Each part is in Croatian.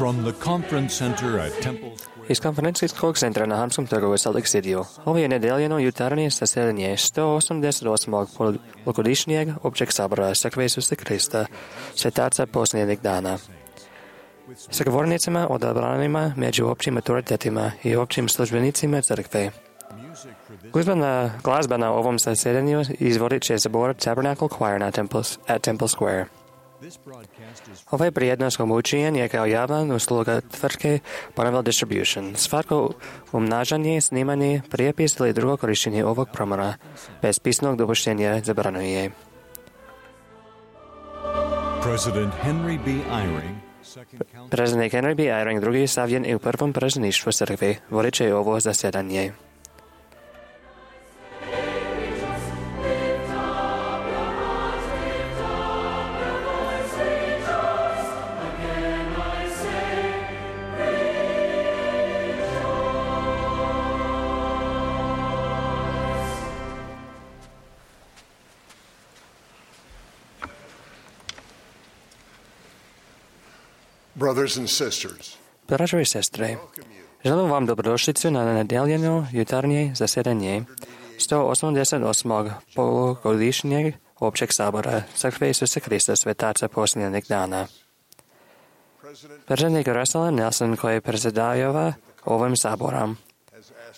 From the conference center at Temple Square. Из конференційського центру на Хамському торговому Салик-Сидію. Ової недільно юtarnє засідання 188 великодішнього общого собору Церкви Ісуса Христа, святаться послідних дана. С говорницами, одобраними между общими авторитетами и общими службеницами церкви. Глазба на овом засіданні изводить через збор Tabernacle Choir at Temple Square. Ove prijedno skomučenje je kao javna usluga tvrtke Bonneville Distribution. Svako umnažanje, snimanje, prijepis ili drugo korištenje ovog promora bez pisnog dopuštenja zabranjuje. President Henry B. Eyring, Predsjednik Henry B. Eyring drugi savjen i u prvom predsjedništvu crkve vodiće ovo zasjedanje. Brothers and sisters, Braćo i sestre, želim vam dobrodošlicu na nedeljeno jutarnje zasjedanje 188. polugodišnjeg općeg sabora Crkve Isusa Krista svetaca posljednjeg dana. Predsjednik Russell Nelson, koji predsjedava ovim saborom,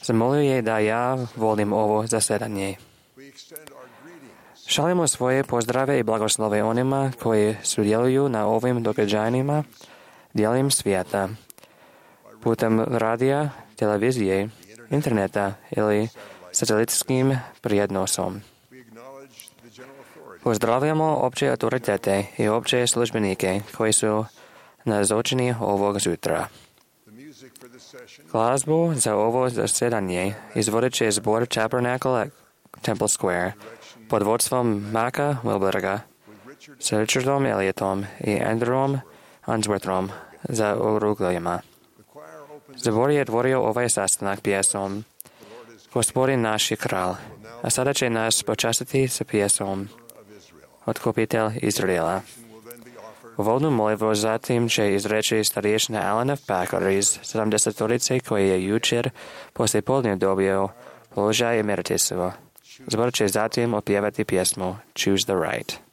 zamolio je da ja volim ovo zasjedanje. Šaljemo svoje pozdrave i blagoslove onima koji sudjeluju na ovim događanjima dijelom svijeta, putem radija, televizije, interneta ili satelitskim prijenosom. Pozdravljamo opće autoritete i opće službenike koji su nazočni ovog jutra. Glazbu za ovo zasjedanje izvodit će zbor Tabernacle at Temple Square pod vodstvom Maka Wilberga s Richardom Elliotom i Andrewom Answorthom za orugljima. Zbor je otvorio ovaj sastanak pjesom Gospodin naš je kralj, a sada će nas počastiti sa pjesom Otkupitelj Izraela. Uvodnu molitvu zatim će izreći starješina Alan F. Packer iz 70-torice koji je jučer poslije podne dobio položaj emeritisu. Zbor će zatim opjevati pjesmu Choose the Right.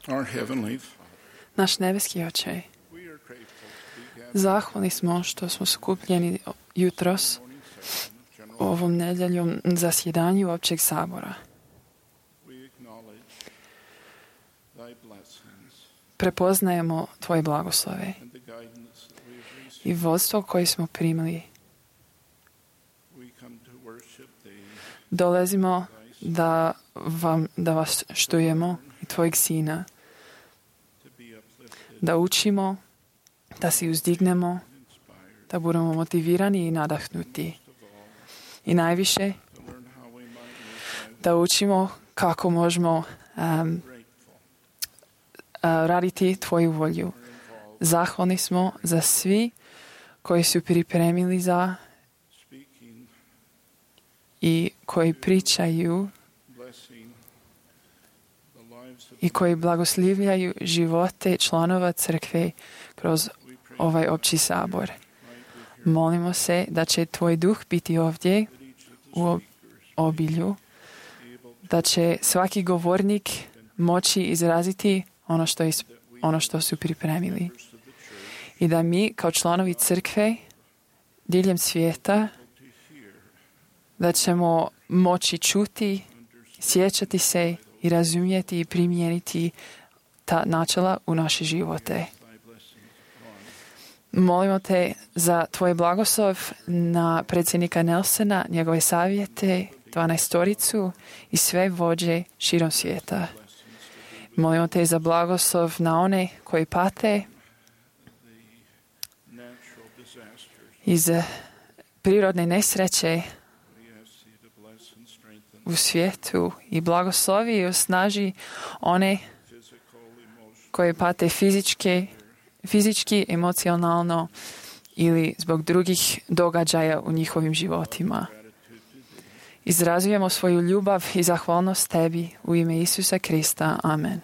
Our heavenly Naš nebeski Oče, we are grateful to be gathered zahvalni smo što smo skupljeni jutros ovom nedeljom zasjedanju općeg sabora. we acknowledge thy blessings Prepoznajemo Tvoje blagoslove and the guidance that we have received. i vodstvo koje smo primili. We come to worship thee, Dolazimo da vas štujemo i Tvojeg Sina, to be uplifted, da učimo, da se uzdignemo, inspired, da budemo motivirani i nadahnuti. of all, I najviše to learn how we might live thy da učimo kako možemo grateful raditi Tvoju volju. or involved Zahvalni smo za svi koji su pripremili za speaking, i koji pričaju blessing the lives of i koji blagoslivljaju živote članova crkve kroz we pray ovaj opći sabor. might be here Molimo se da će Tvoj duh biti ovdje that each of the u speakers obilju, be able to da će svaki govornik moći izraziti ono što su pripremili. members of the church I da mi kao članovi crkve diljem svijeta to hear, da ćemo moći čuti, sjećati se i razumjeti i primijeniti ta načela u naše živote. thy blessings upon Molimo te za Tvoj blagoslov na predsjednika Nelsona, njegove savjete, 12-toricu i sve vođe širom svijeta. Molimo te za blagoslov na one koji pate natural disasters. iz prirodne nesreće We ask thee to bless and strengthen u svijetu i blagoslovi i osnaži one physical, emotional, koje pate fizički, emocionalno ili zbog drugih događaja u njihovim životima. gratitude to thee. Izrazujemo svoju ljubav i zahvalnost Tebi u ime Isusa Krista. Amen.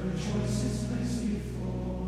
Rejoices, merciful.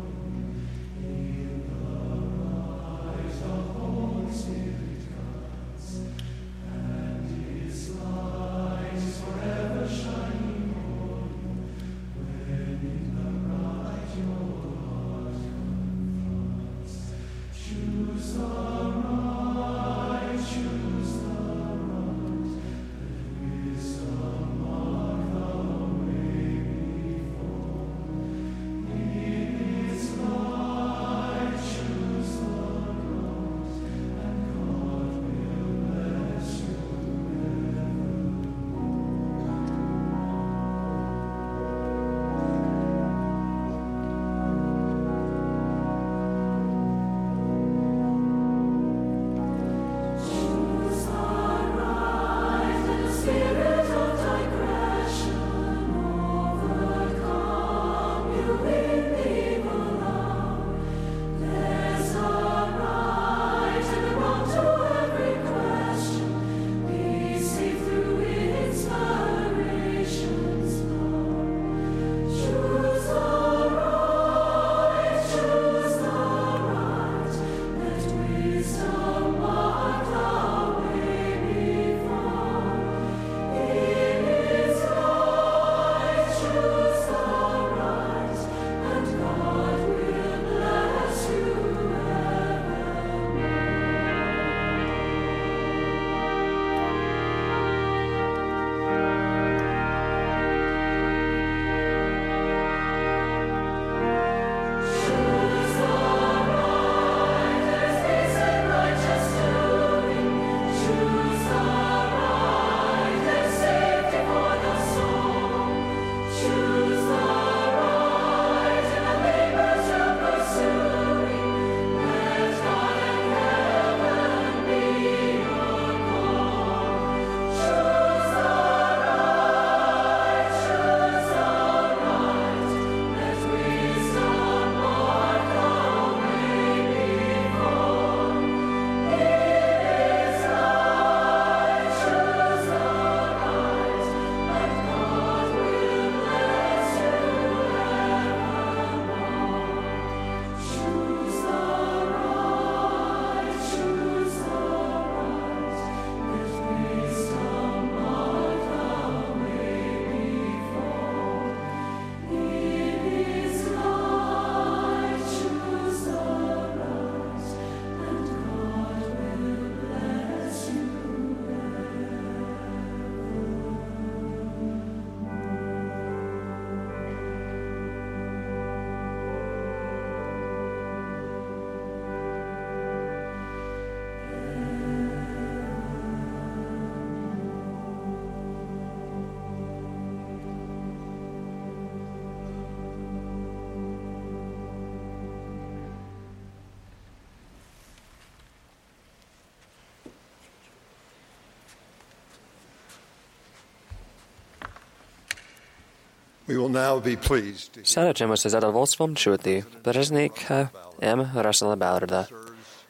We will now be pleased to Sada ćemo se zadovoljstvom čuti predsjednika M. Russella Ballarda,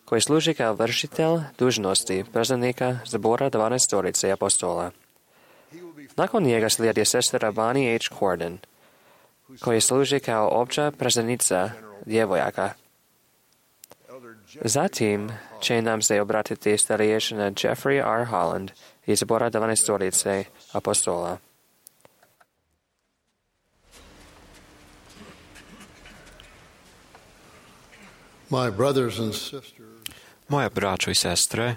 koji služi kao vršitelj dužnosti predsjednika zbora 12 apostola. Nakon njega slijedi sestra Bonnie H. Corden, koji služi kao opća predsjednica djevojaka. Zatim će nam se obratiti starješina Jeffrey R. Holland iz zbora 12 apostola. My brothers and sisters, Moja braćo i sestre,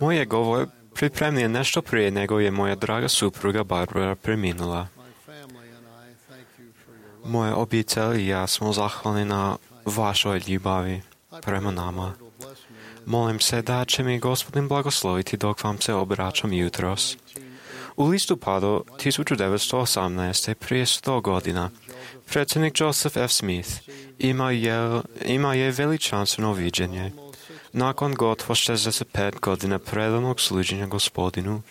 moj je govor pripremljen nešto prije nego je moja draga supruga Barbara preminula. my family and I thank you for your love. Moja obitelj i ja smo zahvalni na vašoj ljubavi prema nama. Molim se da će mi Gospodin blagosloviti dok vam se obraćam jutros. U listopadu 1918. prije 100 godina, predsjednik Joseph F. Smith ima je veličanstveno viđenje. Nakon gotovo 65 godina predanog služenja Gospodinu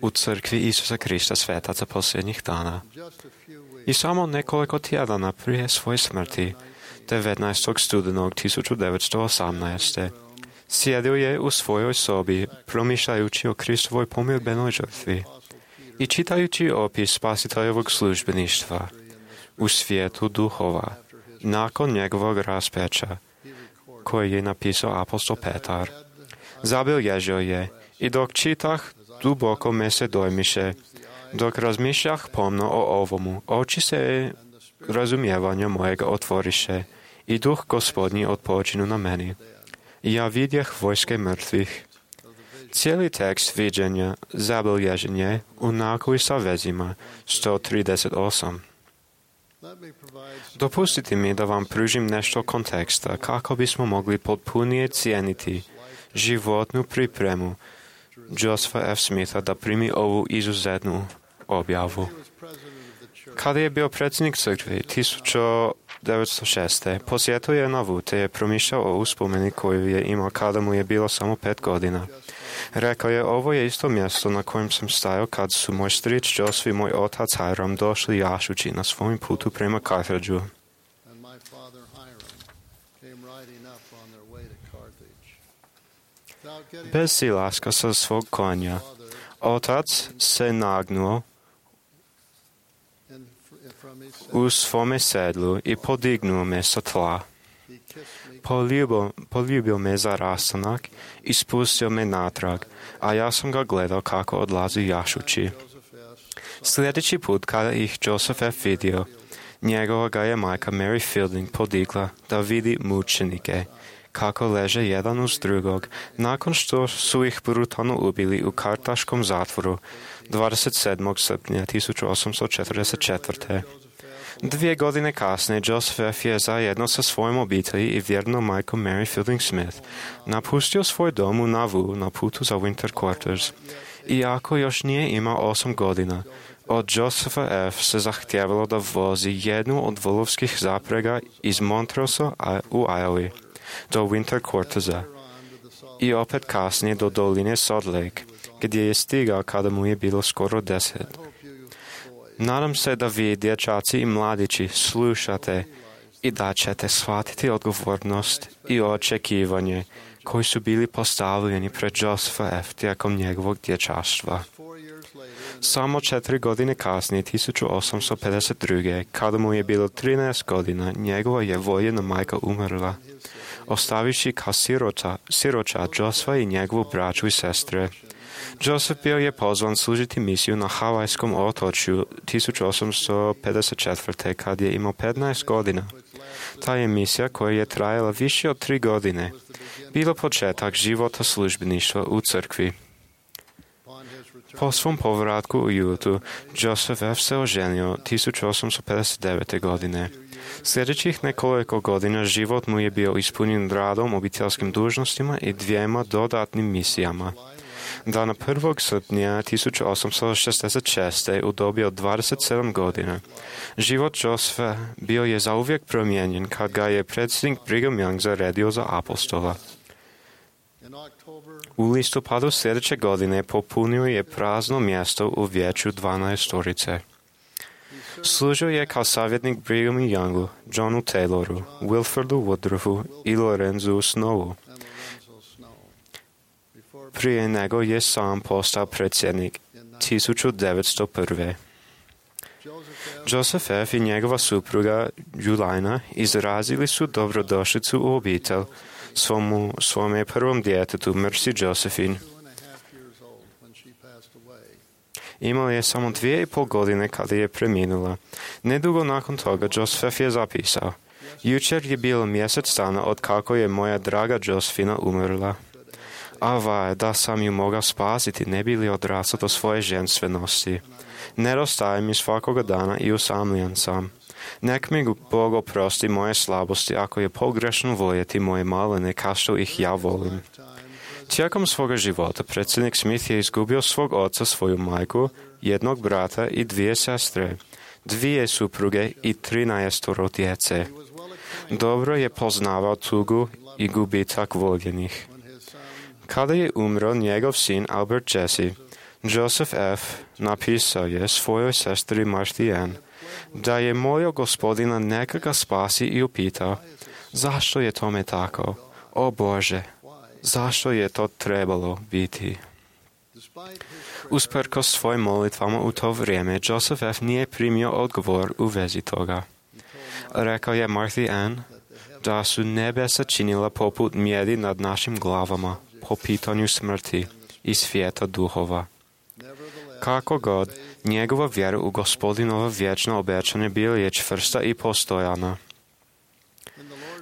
u crkvi Isusa Krista svetaca posljednjih dana. I samo nekoliko tjedana prije svoje smrti, 19. studenog 1918. sjedio je u svojoj sobi, promišljajući o Kristovoj pomirbenoj žrtvi i čitajući opis spasiteljevog službeništva u svijetu duhova, nakon njegovog raspeća, koji je napisao apostol Petar. Zabilježio je, i dok čitah, duboko me se dojmiše, dok razmišljah pomno o ovomu, oči se razumijevanja mojega otvoriše, i duh Gospodnji odpočinu na meni. I ja vidjeh vojske mrtvih. Cijeli tekst viđenja zabilježen je u nakovi sa vezima 138. Dopustite mi da vam pružim nešto konteksta kako bismo mogli potpunije cijeniti životnu pripremu Josepha F. Smitha da primi ovu izuzetnu objavu. Kada je bio predsjednik crkve 1906. posjetio je Nauvoo te je promišljao o uspomeni koju je imao kada mu je bilo samo 5 godina. Rekao je, ovo je isto mjesto na kojem sam stajao kad su moj stric Joseph i moj otac Hiram došli jašući na svojim putu prema Carthageu. And my father Hiram came riding up on their way to Carthage. Without getting Bez silaska sa svog konja, otac se nagnuo from his set, u svome sedlu i podignuo me sa tla. he kissed me. Poljubio me za rastanak i spustio me natrag, a ja sam ga gledao kako odlazi jašući. Joseph S. Sljedeći put kada ih Joseph F. vidio, njegova ga je majka Mary Fielding podigla da vidi mučenike, kako leže jedan uz drugog, nakon što su ih brutalno ubili u kartaškom zatvoru 27. srpnja 1844. 2 godine kasnije Joseph F. je zajedno sa svojom obitelji i vjernom majkom Mary Fielding Smith napustio svoj dom u Nauvoo na putu za Winter Quarters. Iako još nije imao 8 godina, od Josepha F. se zahtjevalo da vozi jednu od volovskih zaprega iz Montrose u Iowa do Winter Quartersa i opet kasnije do doline Salt Lake, gdje je stigao kada mu je bilo skoro 10. Nadam se da vi, dječaci i mladići, slušate i da ćete shvatiti odgovornost i očekivanje koji su bili postavljeni pred Josepha F. tijekom njegovog dječaštva. Samo 4 godine kasnije, 1852. kada mu je bilo 13 godina, njegova je voljena majka umrla, ostaviši kao siroča Josepha i njegovu braću i sestre. Joseph bio je pozvan služiti misiju na Havajskom otočju 1854. kad je imao 15 godina. Ta je misija koja je trajala više od 3 godine. Bilo početak života službeništva u crkvi. Po svom povratku u Jutu, Joseph F. se oženio 1859. godine. Sljedećih nekoliko godina život mu je bio ispunjen radom, obiteljskim dužnostima i 2 dodatnim misijama. Dana 1. srpnja 1866. u dobi od 27 godina. Život Josepha bio je zauvijek promijenjen kad ga je predsjednik Brigham Young zaredio za apostola. U listopadu sljedeće godine popunio je prazno mjesto u vijeću 12. Služio je kao savjetnik Brighamu Youngu, Johnu Tayloru, Wilfordu Woodruffu i Lorenzu Snowu. Prije nego je sam postao predsjednik 1901. Joseph F. i njegova supruga Julijana izrazili su dobrodošlicu u obitelj svome prvom djetetu, Mercy Josephine. Imala je samo 2,5 godine kada je preminula. Nedugo nakon toga Joseph je zapisao: Jučer je bilo mjesec dana od kako je moja draga Josephina umrla. Ava, da sam ju mogao spasiti, ne bi li odrastao do svoje ženstvenosti. Nedostaje mi svakoga dana i usamljen sam. Nek mi Bog oprosti moje slabosti ako je pogrešno voljeti moje malene kao što ih ja volim. Tijekom svoga života predsjednik Smith je izgubio svog oca, svoju majku, jednog brata i 2 sestre, 2 supruge i 13 djece. Dobro je poznavao tugu i gubitak voljenih. Kada je umro njegov sin Albert Jesse, Joseph F. napisao je svojoj sestri Martha Ann da je molio Gospodina neka ga spasi i upitao: zašto je tome tako? O Bože, zašto je to trebalo biti? Usprkos svojim molitvama u to vrijeme, Joseph F. nije primio odgovor u vezi toga. Rekao je Martha Ann da su nebesa činila poput mjedi nad našim glavama po pitanju smrti i svijeta duhova. Kako god, njegova vjera u Gospodinovo vječno obećanje bila je čvrsta i postojana.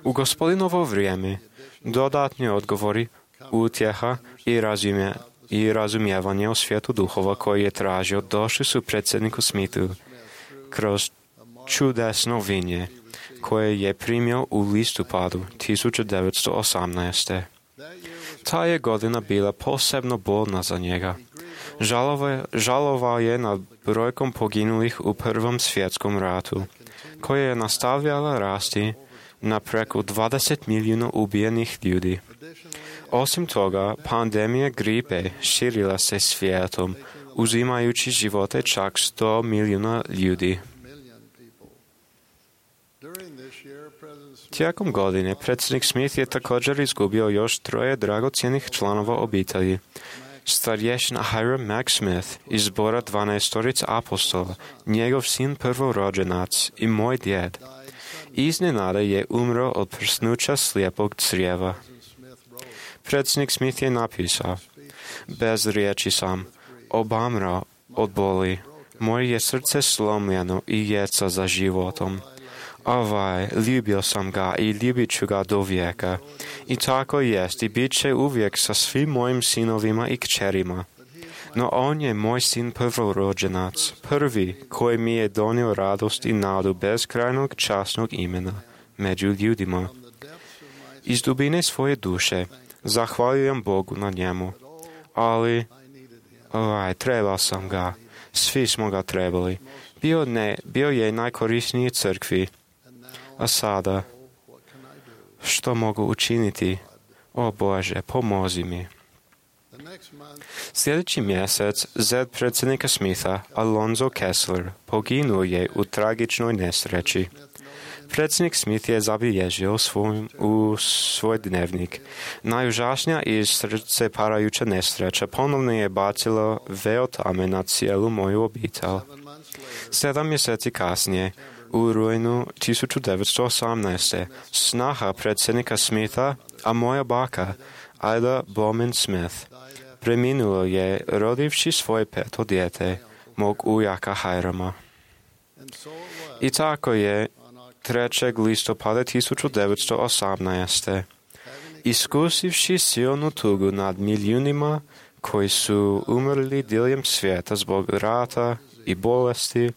U Gospodinovo vrijeme dodatni odgovori, utjeha i razumijevanje o svijetu duhova koji je tražio došli su predsjedniku Smithu kroz čudesno vinje koje je primio u listopadu 1918. Ta je godina bila posebno bolna za njega. Žalovao je nad brojkom poginulih u Prvom svjetskom ratu, koja je nastavljala rasti na preko 20 milijuna ubijenih ljudi. Osim toga, pandemija gripe širila se svijetom, uzimajući živote čak 100 milijuna ljudi. Tijekom godine predsjednik Smith je također izgubio još 3 dragocjenih članova obitelji. Starješina Hiram Mack Smith iz zbora 12 apostola, njegov sin prvorođenac i moj djed. Iznenada je umro od prsnuća slijepog crijeva. Predsjednik Smith je napisao: bez riječi sam, obamrao od boli, moje je srce slomljeno i jeca za životom. Ovaj, ljubio sam ga i ljubit ću ga do vijeka. I tako jest i bit će uvijek sa svim mojim sinovima i kćerima. No on je moj sin prvorođenac, prvi koji mi je donio radost i nadu bezkrajnog časnog imena među ljudima. Iz dubine svoje duše zahvaljujem Bogu na njemu. Ali, trebao sam ga. Svi smo ga trebali. Bio je najkorisniji crkvi. A sada, što mogu učiniti? O Bože, pomozi mi. Sljedeći mjesec zet predsjednika Smitha, Alonzo Kessler, poginuo je u tragičnoj nesreći. Predsjednik Smith je zabilježio u svoj dnevnik: najužasnija i srce parajuća nesreća ponovno je bacilo veo tame na cijelu moju obitelj. 7 mjeseci kasnije, u rujnu 1918. snaha predsjednika Smitha, a moja baka, Ida Bowman Smith, preminulo je rodivši svoje 5. dijete, mog ujaka Hirama. I tako je 3. listopada 1918. iskusivši silnu tugu nad milijunima koji su umrli diljem svijeta zbog rata i bolesti,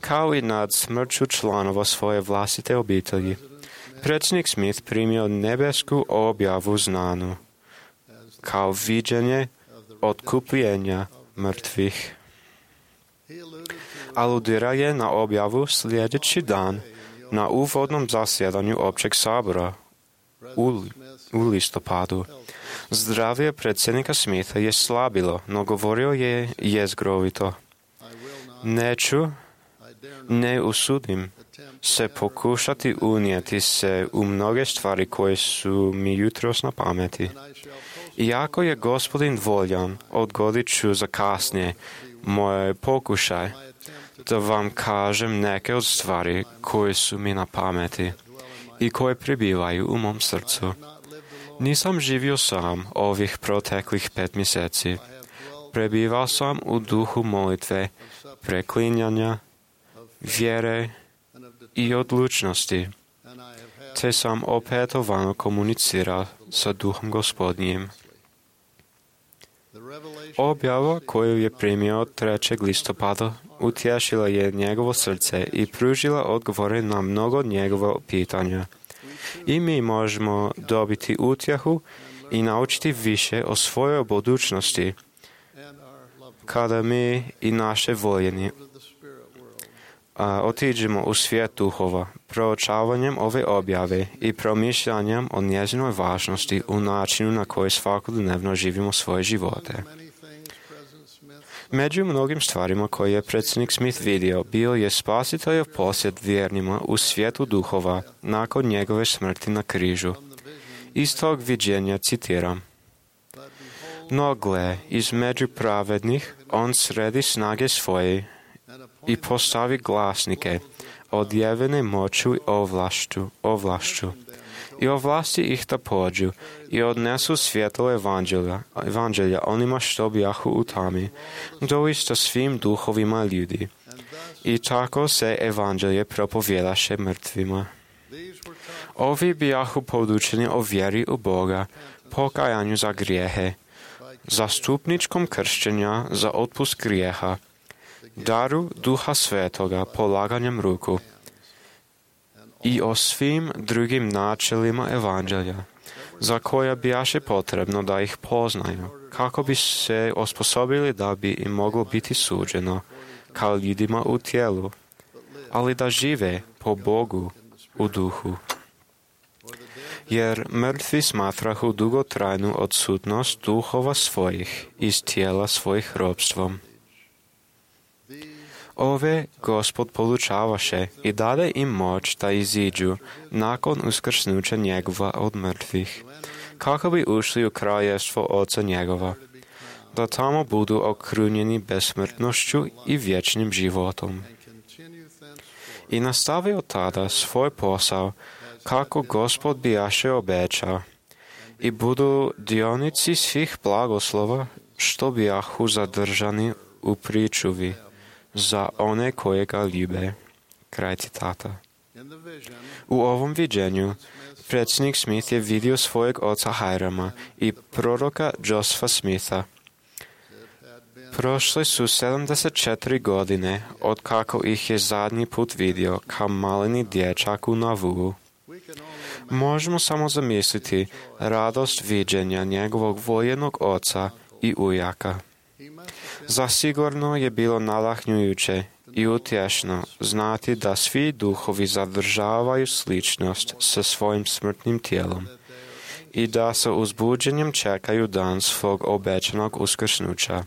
kao i nad smrću članova svoje vlastite obitelji, predsjednik Smith primio nebesku objavu znanu kao viđenje otkupljenja mrtvih. Aludira je na objavu sljedeći dan na uvodnom zasjedanju općeg sabora u listopadu. Zdravlje predsjednika Smitha je slabilo, no govorio je jezgrovito: neću ne usudim se pokušati unijeti se u mnoge stvari koje su mi jutros na pameti. Iako je Gospodin voljan, odgodit ću za kasnije moj pokušaj da vam kažem neke od stvari koje su mi na pameti i koje prebivaju u mom srcu. Nisam živio sam ovih proteklih 5 mjeseci. Prebivao sam u duhu molitve, preklinjanja, vjere i odlučnosti, te sam opetovano komunicirao sa Duhom Gospodnjim. Objava koju je primio 3. listopada utješila je njegovo srce i pružila odgovore na mnogo njegova pitanja. I mi možemo dobiti utjehu i naučiti više o svojoj budućnosti kada mi i naše voljeni otiđemo u svijet duhova, proučavanjem ove objave i promišljanjem o njezinoj važnosti u načinu na koji svakodnevno živimo svoje živote. Među mnogim stvarima koje je predsjednik Smith vidio, bio je spasiteljev posjet vjernima u svijetu duhova nakon njegove smrti na križu. Iz tog viđenja citiram: "No gle, između pravednih on sredi snage svoje i postavi glasnike, odjevene moću i ovlašću, i ovlasti ih da pođu i odnesu svjetlo evanđelja onima što bijahu u tami, doista svim duhovima ljudi. I tako se evanđelje propovjedaše mrtvima. Ovi bijahu podučeni o vjeri u Boga, pokajanju za grijehe, zastupničkom kršćenja za otpust grijeha, daru Duha Svetoga polaganjem ruku i o svim drugim načelima evanđelja, za koja bijaše potrebno da ih poznaju, kako bi se osposobili da bi im moglo biti suđeno, kao ljudima u tijelu, ali da žive po Bogu u duhu. Jer mrtvi smatrahu dugotrajnu odsutnost duhova svojih iz tijela svojih robstvom. Ove Gospod polučavaše i dade im moć da iziđu nakon uskrsnuća njegova od mrtvih, kako bi ušli u kraljevstvo Oca njegova, da tamo budu okrunjeni besmrtnošću i vječnim životom. I nastavio tada svoj posao, kako Gospod bijaše obećao, i budu dionici svih blagoslova, što bijahu zadržani u pričuvi, za one koje ga ljube." Kraj citata. U ovom viđenju predsjednik Smith je vidio svojeg oca Hirama i proroka Josepha Smitha. Prošle su 74 godine od kako ih je zadnji put vidio kao maleni dječak u Nauvoo. Možemo samo zamisliti radost viđenja njegovog voljenog oca i ujaka. Zasigurno je bilo nadahnjujuće i utješno znati da svi duhovi zadržavaju sličnost sa svojim smrtnim tijelom i da sa uzbuđenjem čekaju dan svog obećanog uskrsnuća.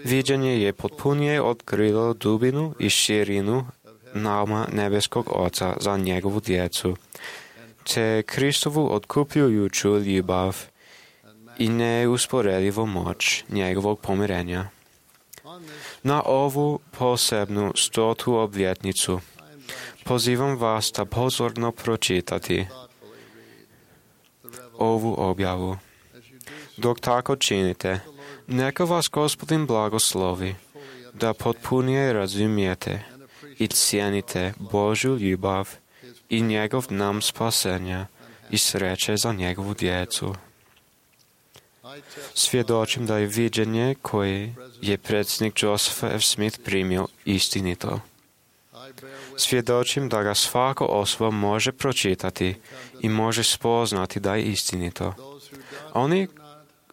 Viđenje je potpunije otkrilo dubinu i širinu nauma nebeskog Oca za njegovu djecu, te Kristovu otkupljujuću ljubav i neusporedivu moć njegovog pomirenja. Na ovu posebnu 100. obljetnicu pozivam vas da pozorno pročitati ovu objavu. Dok tako činite, neka vas Gospodin blagoslovi, da potpunije razumijete i cijenite Božju ljubav i njegov nam spasenja i sreće za njegovu djecu. Svjedočim da je viđenje koje je predsjednik Joseph F. Smith primio istinito. Svjedočim da ga svaka osoba može pročitati i može spoznati da je istinito.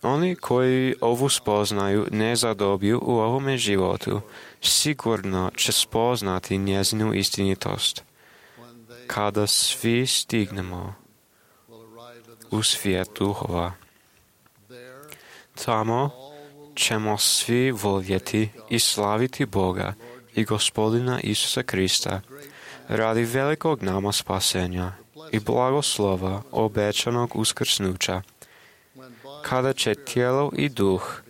Oni koji ovu spoznaju ne zadobiju u ovome životu, sigurno će spoznati njezinu istinitost. Kada svi stignemo u svijet duhova, tamo ćemo svi voljeti i slaviti Boga i Gospodina Isusa Krista, radi velikog nama spasenja i blagoslova obećanog uskrsnuća, kada će tijelo i duh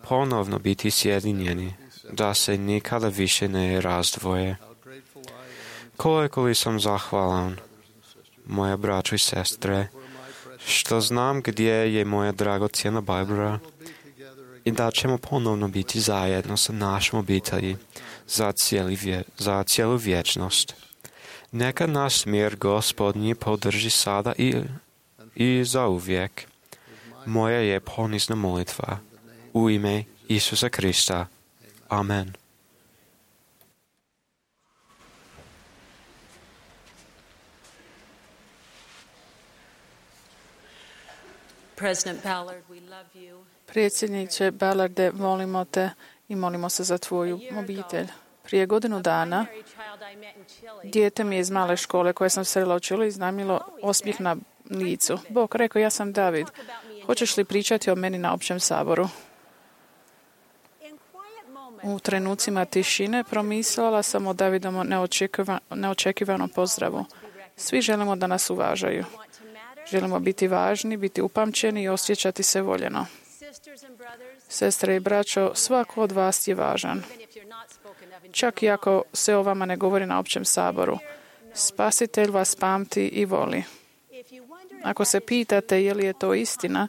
ponovno biti sjedinjeni, da se nikada više ne razdvoje. Koliko li sam zahvalan, moja braćo i sestre, što znam gdje je moja dragocjena Barbara i da ćemo ponovno biti zajedno sa našom obitelji za cijelu vječnost. Neka nas mir Gospodnji podrži sada i zauvijek. Moja je ponizna molitva u ime Isusa Krista. Amen. Predsjedniče Ballarde, volimo te i molimo se za tvoju obitelj. Prije godinu dana dijete mi je iz male škole koje sam srela u Čili iznajmilo osmijeh na licu. Bog rekao, ja sam David. Hoćeš li pričati o meni na općem saboru? U trenucima tišine promislila sam o Davidovom neočekivanom pozdravu. Svi želimo da nas uvažaju. Želimo biti važni, biti upamćeni i osjećati se voljeno. Sestre i braćo, svako od vas je važan. Čak i ako se o vama ne govori na općem saboru. Spasitelj vas pamti i voli. Ako se pitate je li je to istina,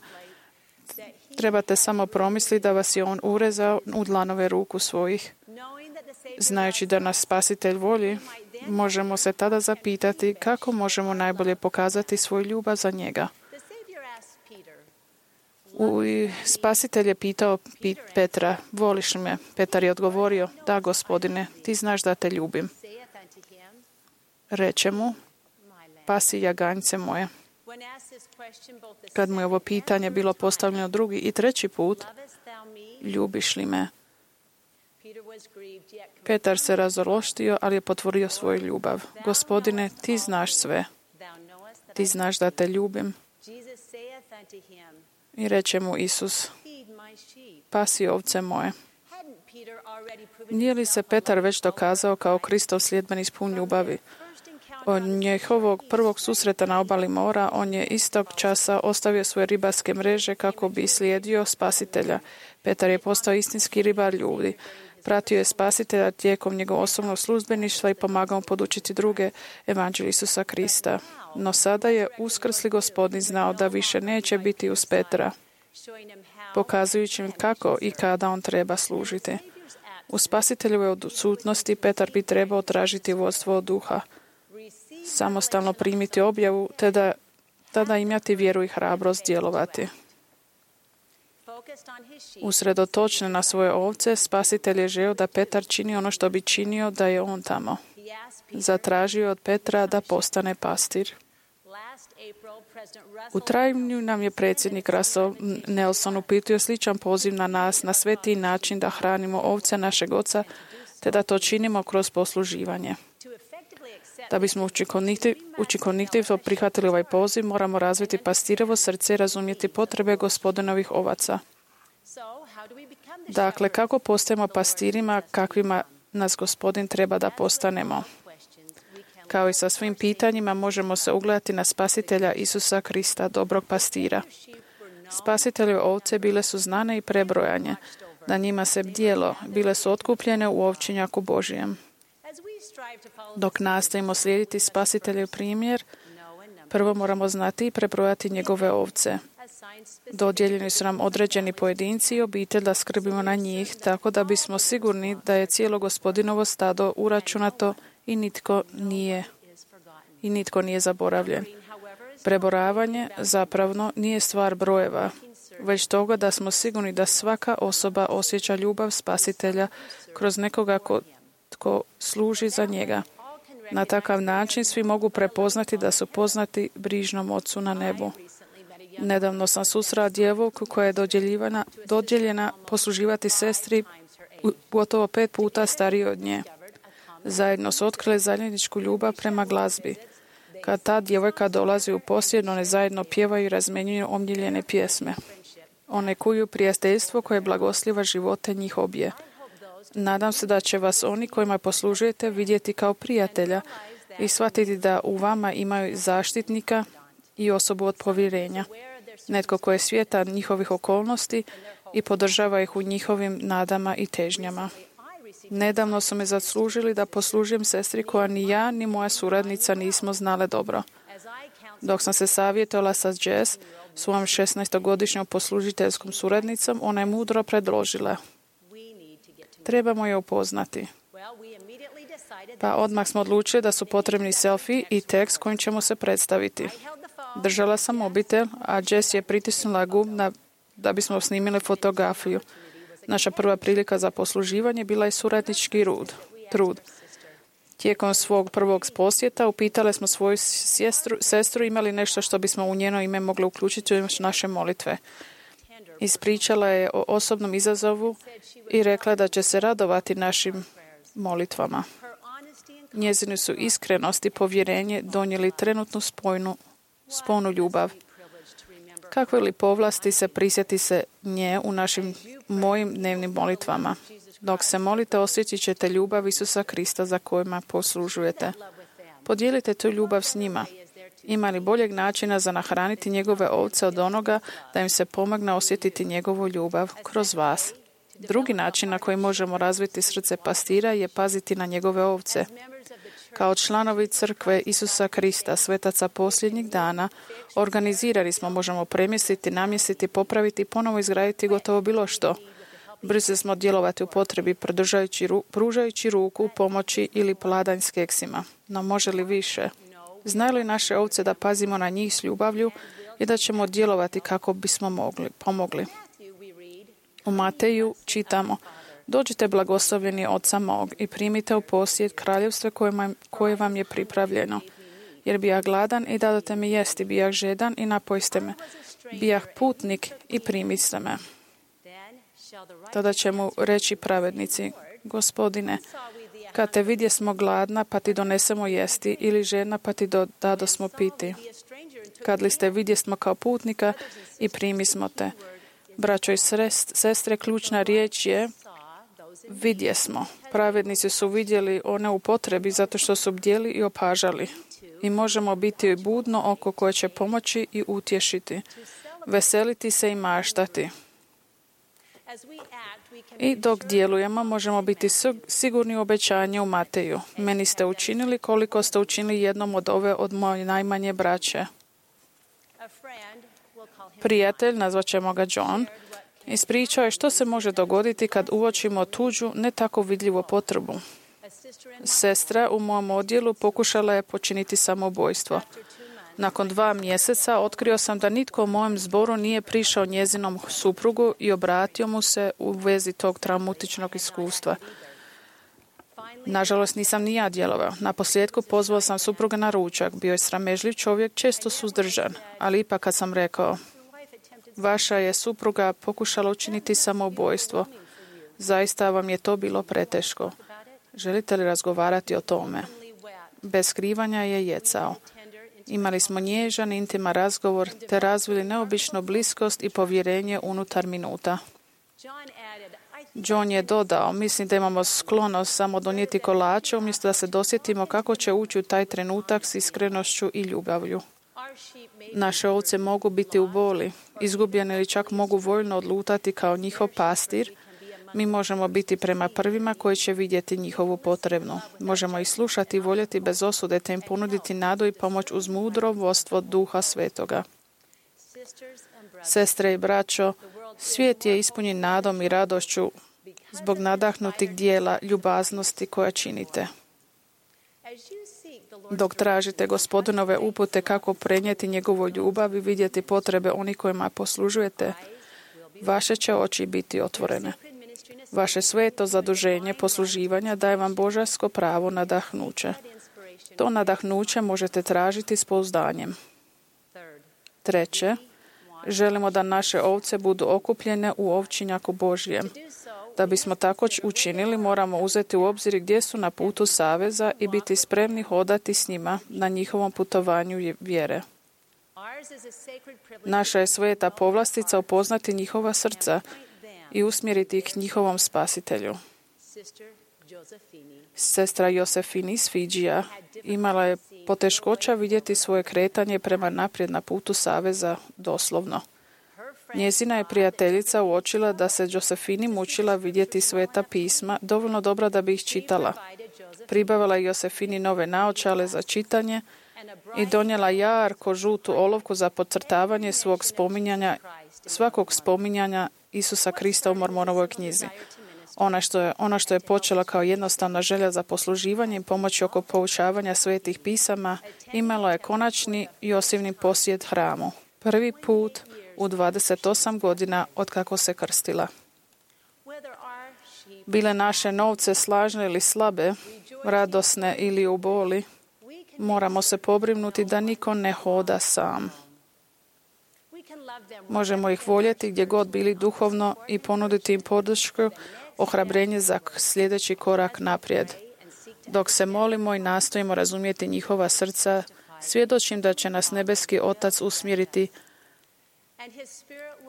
trebate samo promisliti da vas je on urezao u dlanove ruku svojih. Znajući da nas Spasitelj voli, možemo se tada zapitati kako možemo najbolje pokazati svoju ljubav za njega. Spasitelj je pitao Petra, voliš li me? Petar je odgovorio, da Gospodine, ti znaš da te ljubim. Reče mu, pasi jaganjce moje. Kad mu je ovo pitanje bilo postavljeno drugi i treći put, ljubiš li me? Petar se razološtio, ali je potvrdio svoju ljubav. Gospodine, ti znaš sve. Ti znaš da te ljubim. I reče mu Isus, pasi ovce moje. Nije li se Petar već dokazao kao Kristov sljedbenik pun ljubavi? Od njihovog prvog susreta na obali mora, on je istog časa ostavio svoje ribarske mreže kako bi slijedio Spasitelja. Petar je postao istinski ribar ljudi. Pratio je Spasitelja tijekom njegovog osobnog službeništva i pomagao mu podučiti druge evanđelje Isusa Krista. No sada je uskrsli Gospodin znao da više neće biti uz Petra, pokazujući im kako i kada on treba služiti. U Spasiteljevoj odsutnosti Petar bi trebao tražiti vodstvo od duha, samostalno primiti objavu, te tada imati vjeru i hrabrost djelovati. Usredotočen na svoje ovce, Spasitelj je želio da Petar čini ono što bi činio da je on tamo. Zatražio od Petra da postane pastir. U travnju nam je predsjednik Russell Nelson uputio sličan poziv na nas na sveti način da hranimo ovce našeg oca, te da to činimo kroz posluživanje. Da bismo učinkovito prihvatili ovaj poziv, moramo razviti pastirovo srce i razumjeti potrebe Gospodinovih ovaca. Dakle, kako postajemo pastirima, kakvima nas Gospodin treba da postanemo? Kao i sa svim pitanjima, možemo se ugledati na Spasitelja Isusa Krista, dobrog pastira. Spasiteljeve ovce bile su znane i prebrojanje. Na njima se bdjelo, bile su otkupljene u ovčinjaku Božijem. Dok nastojimo slijediti Spasiteljev primjer, prvo moramo znati i prebrojati njegove ovce. Dodijeljeni su nam određeni pojedinci i obitelj da skrbimo na njih, tako da bismo sigurni da je cijelo Gospodinovo stado uračunato i nitko nije zaboravljen. Prebrojavanje zapravo nije stvar brojeva, već toga da smo sigurni da svaka osoba osjeća ljubav Spasitelja kroz nekoga tko služi za njega. Na takav način svi mogu prepoznati da su poznati brižnom Ocu na nebu. Nedavno sam susrela djevojku koja je dodijeljena posluživati sestri gotovo 5 puta stariji od nje. Zajedno su otkrili zajedničku ljubav prema glazbi. Kad ta djevojka dolazi u posjed, one zajedno pjevaju i razmjenjuju omiljene pjesme. One kuju prijateljstvo koje blagosliva živote njih obje. Nadam se da će vas oni kojima poslužujete vidjeti kao prijatelja i shvatiti da u vama imaju zaštitnika i osobu od povjerenja. Netko koji je svjestan njihovih okolnosti i podržava ih u njihovim nadama i težnjama. Nedavno su me zaslužili da poslužujem sestri koja ni ja ni moja suradnica nismo znale dobro. Dok sam se savjetovala sa Jess, svojom 16-godišnjom poslužiteljskom suradnicom, ona je mudro predložila: trebamo je upoznati. Pa odmah smo odlučili da su potrebni selfie i tekst kojim ćemo se predstaviti. Držala sam mobitel, a Jess je pritisnula gumb da bismo snimili fotografiju. Naša prva prilika za posluživanje bila je suradnički trud. Tijekom svog prvog posjeta upitali smo svoju sestru imali nešto što bismo u njeno ime mogli uključiti u naše molitve. Ispričala je o osobnom izazovu i rekla da će se radovati našim molitvama. Njezine su iskrenost i povjerenje donijeli trenutnu sponu ljubav. Kakve li povlasti se prisjeti se nje u mojim dnevnim molitvama. Dok se molite, osjetit ćete ljubav Isusa Krista za kojima poslužujete. Podijelite tu ljubav s njima. Ima li boljeg načina za nahraniti njegove ovce od onoga da im se pomogne osjetiti njegovu ljubav kroz vas? Drugi način na koji možemo razviti srce pastira je paziti na njegove ovce. Kao članovi crkve Isusa Krista, svetaca posljednjih dana, organizirani smo, možemo premjestiti, namjestiti, popraviti, ponovo izgraditi gotovo bilo što. Brzo smo djelovati u potrebi, pružajući ruku, pomoći ili pladanj s keksima. No može li više? Znaju li naše ovce da pazimo na njih s ljubavlju i da ćemo djelovati kako bismo pomogli? U Mateju čitamo: dođite blagoslovljeni Oca mog i primite u posjed kraljevstvo koje vam je pripravljeno. Jer bijah gladan i dadote mi jesti, bijah žedan i napojiste me, bijah putnik i primiste me. Tada će mu reći pravednici: Gospodine, kad te vidjesmo gladna pa ti donesemo jesti, ili žedna pa ti dadosmo piti. Kad li ste vidjesmo kao putnika i primismo te. Braćo i sestre, ključna riječ je vidjesmo. Pravednici su vidjeli one u potrebi zato što su bdjeli i opažali. I možemo biti budno oko koje će pomoći i utješiti, veseliti se i maštati. I dok djelujemo, možemo biti sigurni u obećanje u Mateju. Meni ste učinili koliko ste učinili jednom od moje najmanje braće. Prijatelj, nazvat ćemo ga John, ispričao je što se može dogoditi kad uočimo tuđu, ne tako vidljivu potrebu. Sestra u mom odjelu pokušala je počiniti samoubojstvo. Nakon 2 mjeseca otkrio sam da nitko u mojem zboru nije prišao njezinom suprugu i obratio mu se u vezi tog traumatičnog iskustva. Nažalost, nisam ni ja djelovao. Naposljetku pozvao sam supruga na ručak. Bio je sramežljiv čovjek, često suzdržan. Ali ipak kad sam rekao: vaša je supruga pokušala učiniti samoubojstvo, zaista vam je to bilo preteško. Želite li razgovarati o tome? Bez skrivanja je jecao. Imali smo nježan, intiman razgovor te razvili neobičnu bliskost i povjerenje unutar minuta. John je dodao: mislim da imamo sklonost samo donijeti kolače umjesto da se dosjetimo kako će ući u taj trenutak s iskrenošću i ljubavlju. Naše ovce mogu biti u boli, izgubljene ili čak mogu voljno odlutati kao njihov pastir. Mi možemo biti prema prvima koji će vidjeti njihovu potrebnu. Možemo ih slušati i voljeti bez osude te im ponuditi nadu i pomoć uz mudro vodstvo Duha Svetoga. Sestre i braćo, svijet je ispunjen nadom i radošću zbog nadahnutih dijela ljubaznosti koja činite. Dok tražite Gospodinove upute kako prenijeti njegovu ljubav i vidjeti potrebe onih kojima poslužujete, vaše će oči biti otvorene. Vaše sveto zaduženje posluživanja daje vam božansko pravo nadahnuće. To nadahnuće možete tražiti s pouzdanjem. 3. Želimo da naše ovce budu okupljene u ovčinjaku Božjem. Da bismo tako učinili, moramo uzeti u obzir gdje su na putu saveza i biti spremni hodati s njima na njihovom putovanju vjere. Naša je sveta povlastica upoznati njihova srca i usmjeriti ih njihovom spasitelju. Sestra Josefini iz Fidžija imala je poteškoća vidjeti svoje kretanje prema naprijed na putu saveza doslovno. Njezina je prijateljica uočila da se Josefini mučila vidjeti sveta pisma dovoljno dobra da bi ih čitala. Pribavila je Josefini nove naočale za čitanje i donijela jarko žutu olovku za podcrtavanje svakog spominjanja Isusa Krista u Mormonovoj knjizi. Ono što je počela kao jednostavna želja za posluživanje i pomoći oko poučavanja svetih pisama, imalo je konačni i osilni posjet hramu. Prvi put u 28 godina od kako se krstila. Bile naše novce slažne ili slabe, radosne ili u boli, moramo se pobrinuti da niko ne hoda sam. Možemo ih voljeti gdje god bili duhovno i ponuditi im podršku, ohrabrenje za sljedeći korak naprijed. Dok se molimo i nastojimo razumjeti njihova srca, svjedočim da će nas nebeski Otac usmjeriti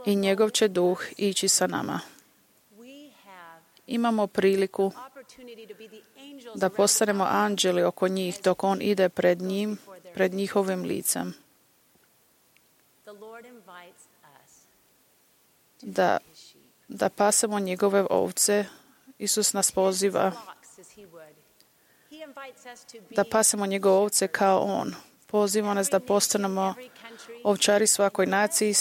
i njegov će duh ići sa nama. Imamo priliku da postanemo anđeli oko njih dok on ide pred njihovim licem. Da pasemo njegove ovce. Isus nas poziva da pasemo njegove ovce kao on. Poziva nas da postanemo ovčari svakoj naciji,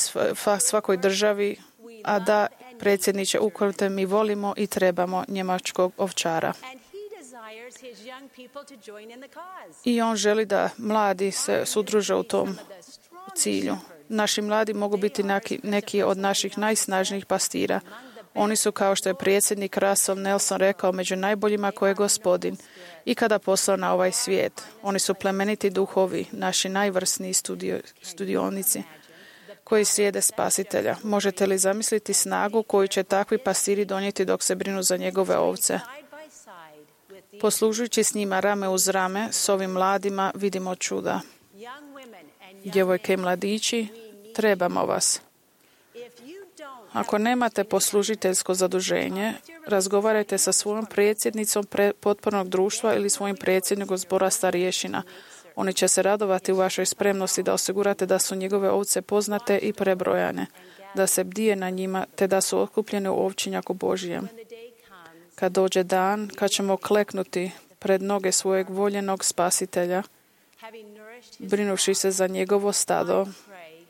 svakoj državi, a da, predsjedniče, ukoliko mi volimo i trebamo njemačkog ovčara. I on želi da mladi se sudruže u tom cilju. Naši mladi mogu biti neki od naših najsnažnijih pastira. Oni su, kao što je predsjednik Russell Nelson rekao, među najboljima koje je Gospodin ikada poslao na ovaj svijet. Oni su plemeniti duhovi, naši najvrsniji studionici koji slijede Spasitelja. Možete li zamisliti snagu koju će takvi pastiri donijeti dok se brinu za njegove ovce? Poslužujući s njima rame uz rame, s ovim mladima vidimo čuda. Djevojke i mladići, trebamo vas. Ako nemate poslužiteljsko zaduženje, razgovarajte sa svojom predsjednicom potpornog društva ili svojim predsjednikom zbora starješina. Oni će se radovati u vašoj spremnosti da osigurate da su njegove ovce poznate i prebrojane, da se bdije na njima, te da su okupljene u ovčinjaku Božijem. Kad dođe dan, kad ćemo kleknuti pred noge svojeg voljenog Spasitelja, brinuši se za njegovo stado,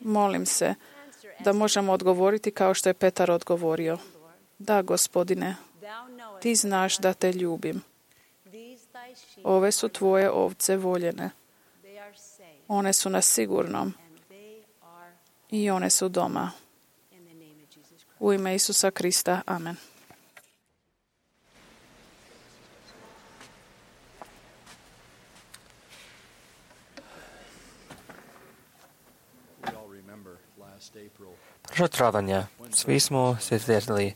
molim se da možemo odgovoriti kao što je Petar odgovorio. Da, Gospodine, ti znaš da te ljubim. Ove su tvoje ovce voljene. One su na sigurnom i one su doma. U ime Isusa Krista. Amen. Prošlog travanja svi smo se sjetili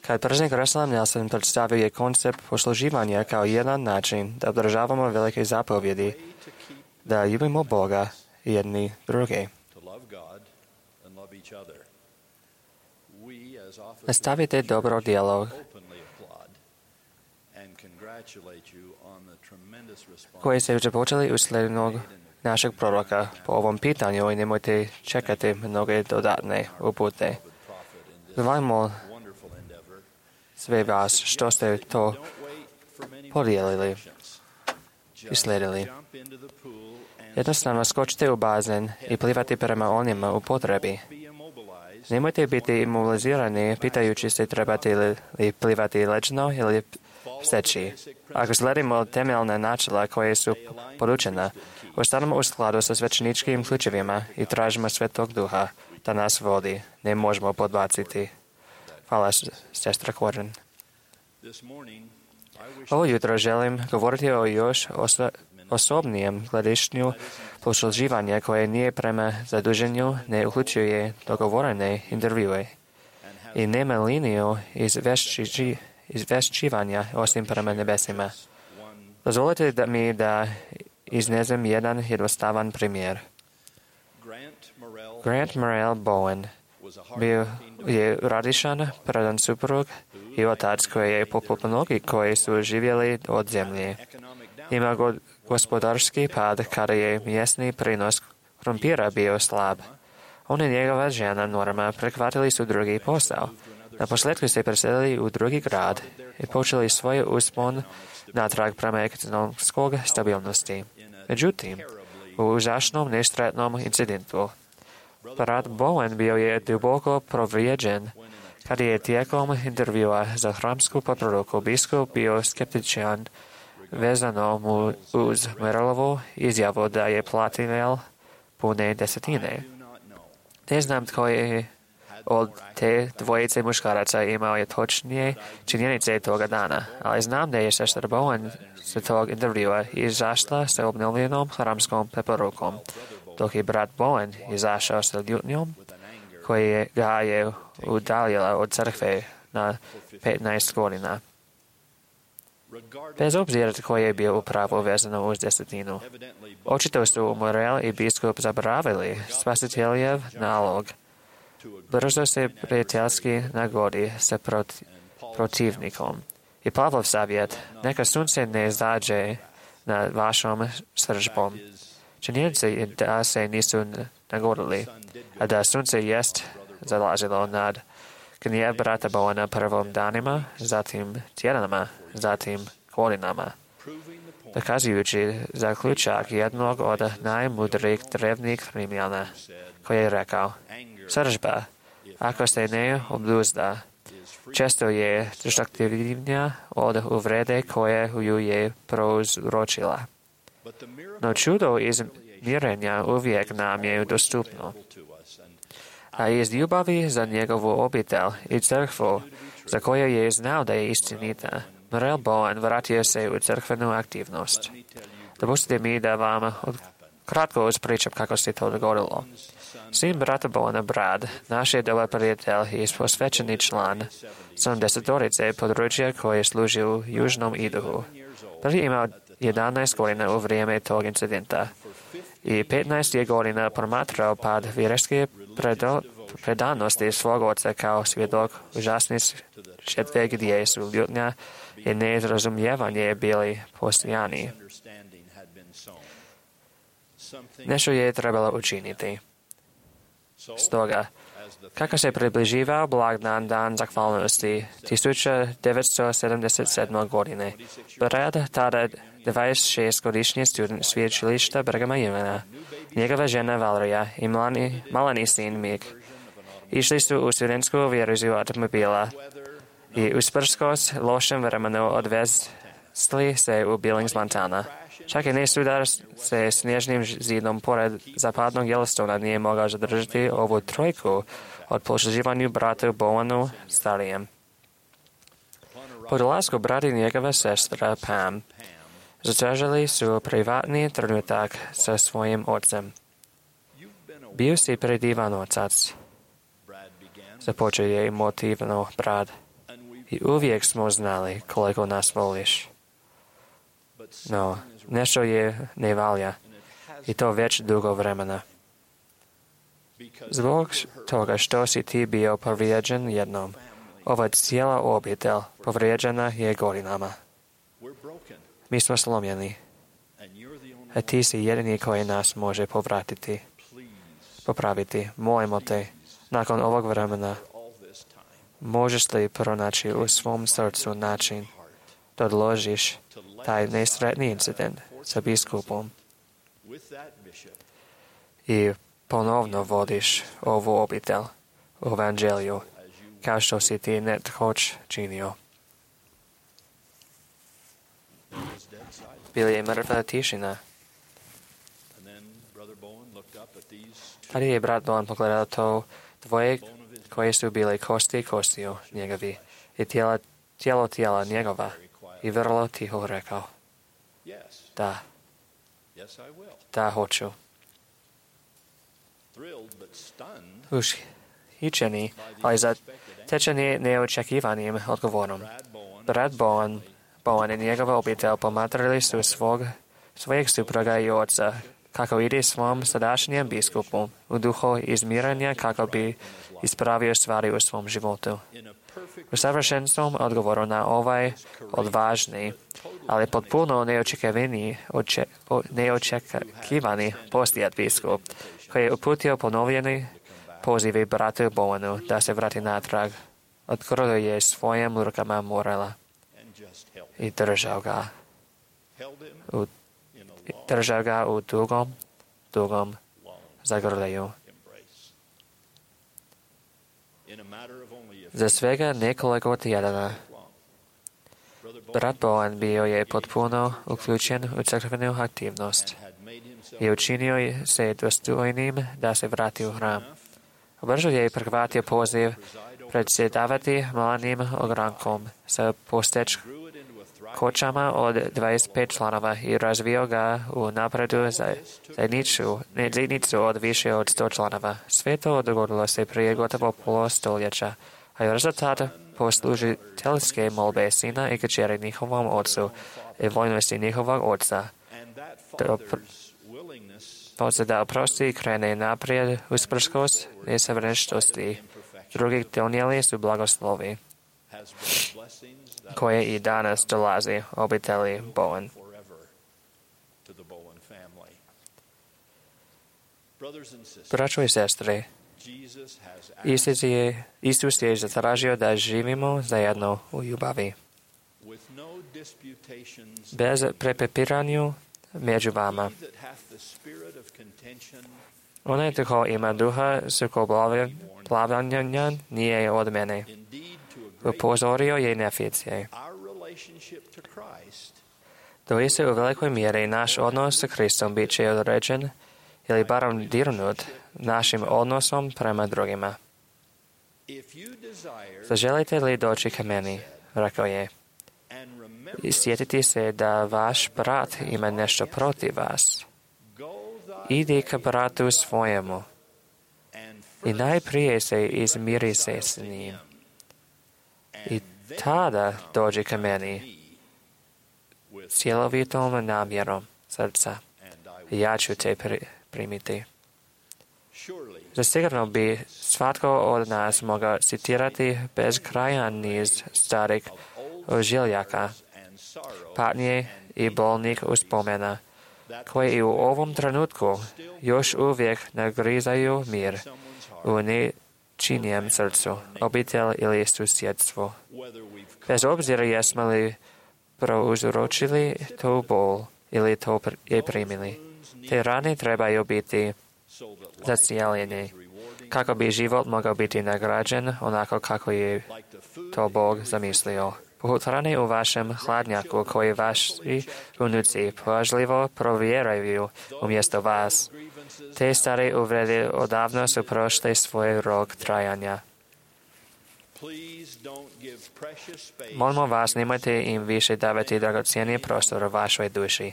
kad predsjednik Russell Nelson predstavio je koncept posluživanja kao jedan način da održavamo velike zapovjedi, da ljubimo Boga i jedni druge. Nastavite dobro djelo koje ste već počeli u slijednog našeg proroka po ovom pitanju i nemojte čekati mnoge dodatne upute. Zvolimo sve vas što ste to podijelili i slijedili. Jednostavno skočite u bazen i plivati prema onima u potrebi. Nemojte biti imobilizirani pitajući se trebate li plivati ležno ili steći. Ako slijedimo temeljne načela koje su poručena, ostanemo u skladu sa svećeničkim ključevima i tražimo Svetog Duha da nas vodi. Ne možemo podbaciti. Hvala, sestra Corin. Ovo jutro želim govoriti o još osobnijem gledišću posluživanja koje nije prema zaduženju, ne uključuje dogovorene intervjue i nema liniju izvješćivanja osim prema nebesima. Dozvolite mi da iznesem jedan jednostavan primjer. Grant Morrell Bowen Bio je radišan, predan suprug i otac koji je poput mnogih koji su živjeli od zemlje. Ima gospodarski pad kada je mjesni prinos krumpira bio slab. On i njegova žena Norma prihvatili su drugi posao. Na posljedku se preselili u drugi grad i počeli svoj uspon natrag prema ekonomskog stabilnosti. Međutim, u užasnom nesretnom incidentu, brat Bowen bio je duboko povrijeđen kada je tijekom intervjua za hramsku preporuku biskup bio skeptičan vezano mu uz Merlovu izjavu da je platinel pune desetine. Ne znam tko je od te dvojice muškaraca imao je točnije činjenice toga dana, ali znam da je sestra Bowen sa tog intervjua izašla sa obnovljenom hramskom preporukom, dok je brat Bowen izašao sa ljutnjom koji ga je udaljila od crkve na 15 godina. Bez obzira tko je bio upravo vezano uz desetinu. Očito su Morel i biskup zaboravili spasiteljev nalog. Brzo se prijateljski nagodi sa protivnikom. I Pavlov savjet, neka sunce ne zađe nad vašom sržbom. Činjenica je da se nisu nagodili, a da sunce jest zalazilo nad gnjev brata Bowena prvom danima, zatim tjedanama, zatim godinama. Dokazujući zaključak jednog od najmudrijih drevnih Rimljana, koji je rekao, sržba, ako se ne obuzda, često je destruktivnija od uvrede koje ju je prouzročila. No čudo izmirenja uvijek nam je dostupno. A iz ljubavi za njegovu obitelj i crkvu, za koju je znao da je istinita, Morel Bowen vratio se u crkvenu aktivnost. Dopustite mi da vam kratko ispričam kako se to dogodilo. Sin brata Bowena, Brad, naš je dobar prijatelj i posvećeni član 70-torice područja koje služi u Južnom Idahu. Brad je imao 11 godina u vrijeme tog incidenta i 15 je godina promatrao pad vjerske predanosti svog oca kao svjedok užasnih žrtve gdje su ljutnja i nerazumijevanje bili postojani. Nešto je trebalo učiniti. Stoga, kako se približivao blagdan dan zahvalnosti 1977. godine, Brad, tada 26-godišnji student sveučilišta Brighama Younga, njegova žena Valerija i malani sin Mick, išli su u studentsku vježbu automobila i usprkos lošem vremenu odvezli se u Billings, Montana. Čak i ne sudar se snježnim zidom pored zapadnog Yellowstona nije mogao zadržati ovu trojku od posluživanju bratu Bowenu starijem. Po dolasku brat i njegova sestra Pam zatražili su privatni trenutak sa svojim ocem. Bio si predivan otac, započeo je emotivno Brad, i uvijek smo znali koliko nas voliš. No, nešto je ne valja i to već dugo vremena. Zbog toga što si ti bio povrijeđen jednom, ova cijela obitelj povrijeđena je godinama. Mi smo slomljeni, a ti si jedini koji nas može popraviti. Molimo te, nakon ovog vremena, možeš li pronaći u svom srcu način da odložiš taj nesretni incident sa biskupom i ponovno vodiš ovu obitelj u evanđelju, kao što si ti netkoć činio. Bila je mrtva tišina. Tada je brat Bowen pogledao to dvoje koje su bili kosti kostiju njegovi i tijela njegova i vrlo tiho rekao, da hoću. Ushićeni, ali zatečeni neočekivanim odgovorom. Brat Bowen i njegova obitelj pomatrali su svojeg supruga i oca kako ide svom sadašnjem biskupu u duhu izmiranja kako bi ispravio stvari u svom životu. U savršenstvom odgovoru na ovaj odvažni, ali potpuno neočekivani poslijed biskup, koji je uputio ponovljeni pozivi bratu Bowenu da se vrati natrag, otkrio je svojim rukama Morela i držao ga u dugom zagrljaju. Za svega nekoliko tjedana brat Bowen bio je potpuno uključen u crkvenu aktivnost i učinio se dostojnim da se vrati u hram. Brzo je prihvatio poziv predsjedavati malanim ogrankom sa kočama od 25 članova i razvio ga u napredu zajednicu od više od 100 članova. Sve to dogodilo se prije gotovo polustoljeća, a je rezultat poslužiteljske molbe sina i kćeri njihovom ocu i vojnosti njihovog oca. Da oprosti i krene naprijed usprkos nesavršenosti. Drugi donijeli su blagoslovi koje i danas dolazi obitelji Bowen. Braćo i sestre, Isus je zatražio da živimo zajedno u ljubavi. Bez prepiranja među vama. Onaj tko ima duha sukobljavanja nije od mene. Upozorio je Neficije. Doista u velikoj mjeri naš odnos sa Kristom bit će određen ili barem dirnut našim odnosom prema drugima. Zaželite li doći ka meni, rekao je, i sjetiti se da vaš brat ima nešto protiv vas. Idi ka bratu svojemu i najprije se izmiri se s njim. I tada dođi ka meni cjelovitom namjerom srca. Ja ću te primiti. Zasigurno bi svatko od nas mogao citirati bezkrajan niz starih ožiljaka, patnje i bolnih uspomena, koji i u ovom trenutku još uvijek nagrizaju mir u nečinijem srcu, obitelj ili susjedstvu. Bez obzira jesmo li prouzročili tu bol ili to je primili. Te rane trebaju biti zacijeljene, kako bi život mogao biti nagrađen onako kako je to Bog zamislio. Poput rane u vašem hladnjaku koji vaši unuci pažljivo provjeraju umjesto vas. Te stare uvrede odavno su prošle svoj rok trajanja. Molimo vas, nemojte im više davati dragocjeni prostor u vašoj duši.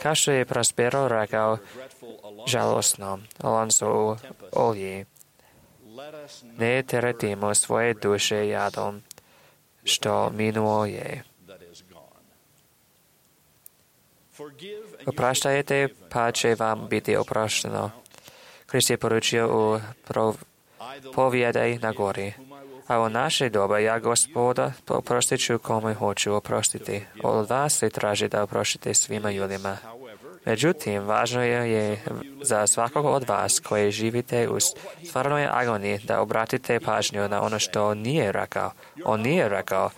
Kao što je Prospero rekao žalostno Alonso u Olji, ne teretimo svoje duše jadom, što minuo je. Opraštajte, pa će vam biti oprošteno. Krist je poručio u povjedaj na gori. A u naše doba ja, Gospoda, oprostit ću kome hoću oprostiti. Od vas se traži da oproštite svima ljudima. Međutim, važno je za svakog od vas koji živite u stvarnoj agoniji da obratite pažnju na ono što nije rekao. On nije rekao,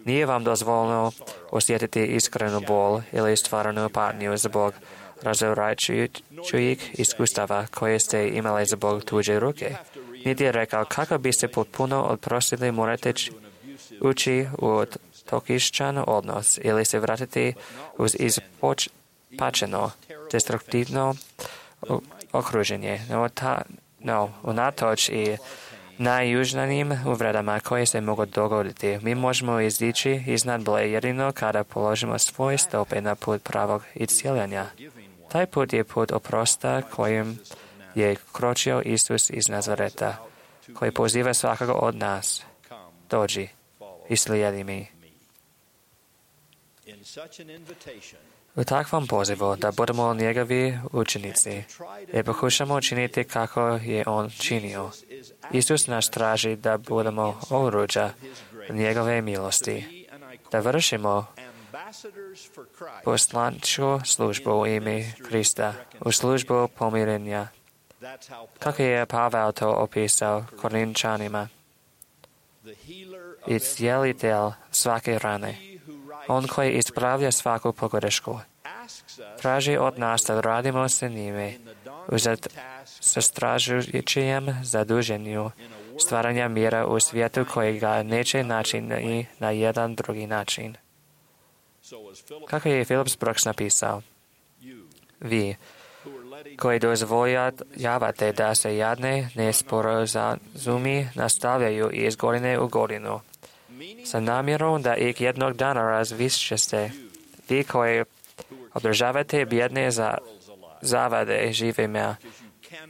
nije vam dozvoljeno osjetiti iskrenu bol ili stvarnu patnju zbog razvraćajućih iskustava koje ste imali zbog tuđe ruke. Niti je rekao, kako biste potpuno oprostili, morate ući u toksičan odnos ili se vratiti uz izpačeno, destruktivno okruženje. Unatoč i najjužnijim uvredama koje se mogu dogoditi, mi možemo izići iznad bole jedino kada položimo svoje stope na put pravog iscjeljenja. Taj put je put oprosta kojim je kročio Isus iz Nazareta, koji poziva svakoga od nas. Dođi i slijedi mi. U takvom pozivu da budemo njegovi učenici i pokušamo činiti kako je on činio. Isus nas traži da budemo oruđa njegove milosti, da vršimo poslančku službu u ime Krista, u službu pomirenja. Kako je Pavel to opisao Korinčanima? Iscijelitelj svake rane, on koji ispravlja svaku pogrešku, traži od nas da radimo sa njime u zastrašujućem zaduženju stvaranja mira u svijetu koji ga neće naći ni na jedan drugi način. Kako je Phillips Brooks napisao, vi, koji dozvoljavate da se jadne nesporazumi nastavljaju iz godine u godinu, sa namjerom da ih jednog dana razvišćete, vi koji održavate bjedne zavade živima,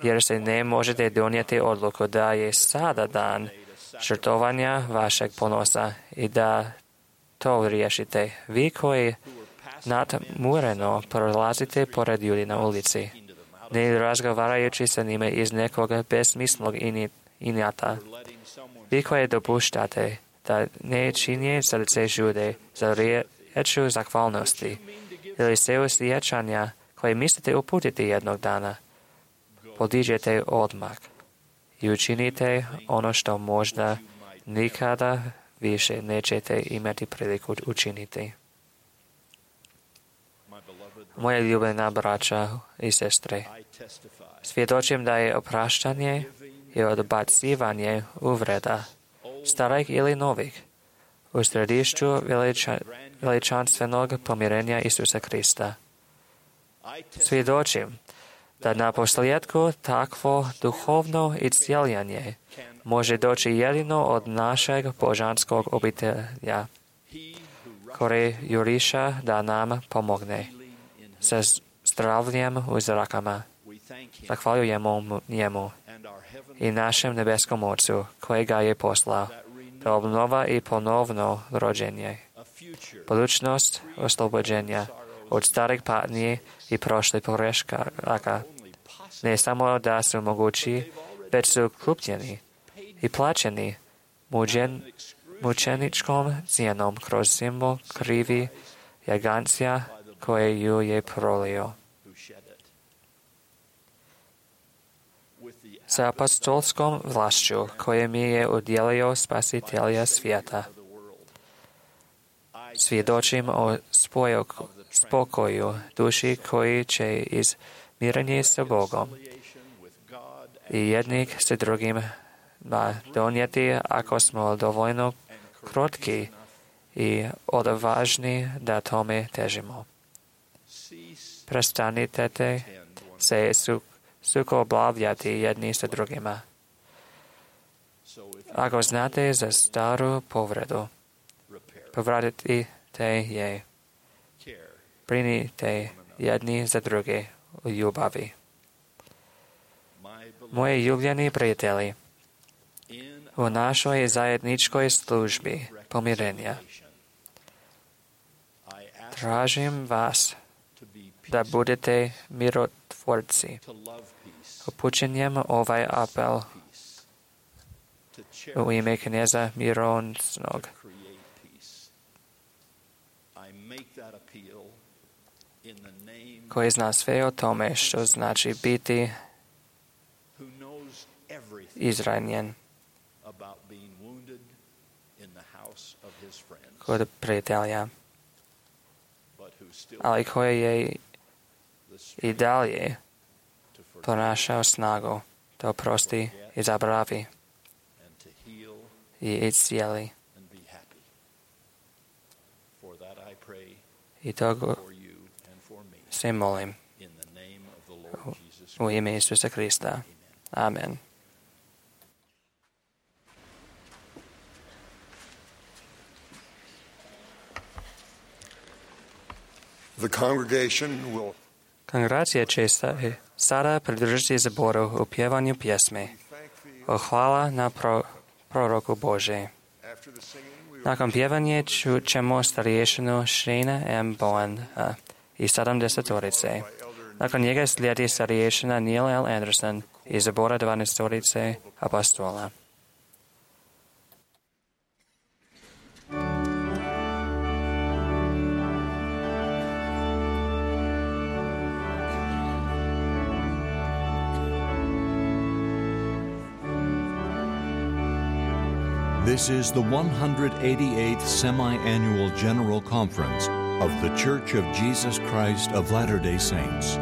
jer se ne možete donijeti odluku da je sada dan žrtvovanja vašeg ponosa i da to riješite. Vi koji nadmureno prolazite pored ljudi na ulici, ne razgovarajući sa njima iz nekog besmislog inata. Vi koji dopuštate da ne činje srce žude za riječu zahvalnosti ili se osjećanja koje mislite uputiti jednog dana, podiđete odmah i učinite ono što možda nikada više nećete imati priliku učiniti. Moje ljubljena braća i sestre, svjedočim da je opraštanje i odbacivanje uvreda, starih ili novih, u središću veličanstvenog pomirenja Isusa Krista. Svjedočim da na posljedku takvo duhovno iscijeljenje može doći jedino od našeg božanskog obitelja, koji juriša da nam pomogne sa zdravljem u zrakama. Zahvaljujemo njemu i našem nebeskom Ocu, koji ga je poslao, da obnova i ponovno rođenje, budućnost oslobođenja od starih patnji i prošlih pogrešaka, ne samo da su mogući, već su kupljeni i plaćeni mučeničkom cijenom kroz simbol krivi jagancija koje ju je prolio. Sa apostolskom vlašću koje mi je udjelio Spasitelja svijeta, svjedočim o spokoju duši koji će iz mirenja sa Bogom i jednih sa drugim donijeti ako smo dovoljno krotki i odvažni da tome težimo. Prestanite se sukobljavati jedni sa drugima. Ako znate za staru povredu, povratite je. Brinite jedni za druge u ljubavi. Moji ljubljeni prijatelji, u našoj zajedničkoj službi pomirenja tražim vas da budete mirotvorci. Upućenjem ovaj apel u ime kneza Mironcnog. Koji zna sve o tome što znači biti izranjen kod prijatelja, ali koji je i dalje ponašao snagu da oprosti i zabravi i iscijeli. I to se molim u ime Isusa Krista. Amen. The congregation will Kongregacija će sada pridružiti zboru u pjevanju pjesme o hvala na proroku Bože. Nakon pjevanja ćemo starješinu Shane M. Bowen i 70-torice. Nakon njega slijedi starješina Neil L. Anderson iz zbora 12-torice apostola. This is the 188th Semi-Annual General Conference of The Church of Jesus Christ of Latter-day Saints.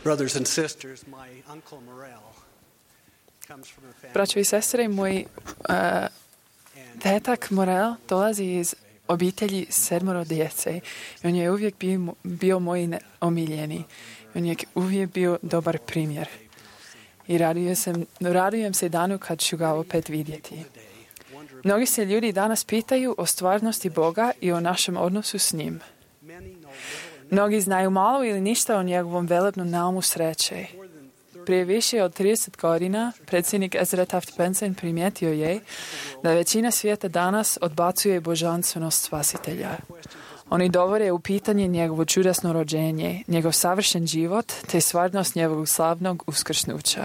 Brothers and sisters, my uncle Morel comes from a family. Braćo i sestre, moj tetak Morel dolazi iz obitelji 7 djece. On je uvijek bio moj omiljeni. On je uvijek bio dobar primjer. I radujem se danu kad ću ga opet vidjeti. Mnogi se ljudi danas pitaju o stvarnosti Boga i o našem odnosu s njim. Mnogi znaju malo ili ništa o njegovom velebnom naumu sreće. Prije više od 30 godina predsjednik Ezra Taft Benson primijetio je da većina svijeta danas odbacuje božanstvenost Spasitelja. Oni dovode u pitanje njegovo čudesno rođenje, njegov savršen život te stvarnost njegovog slavnog uskrsnuća.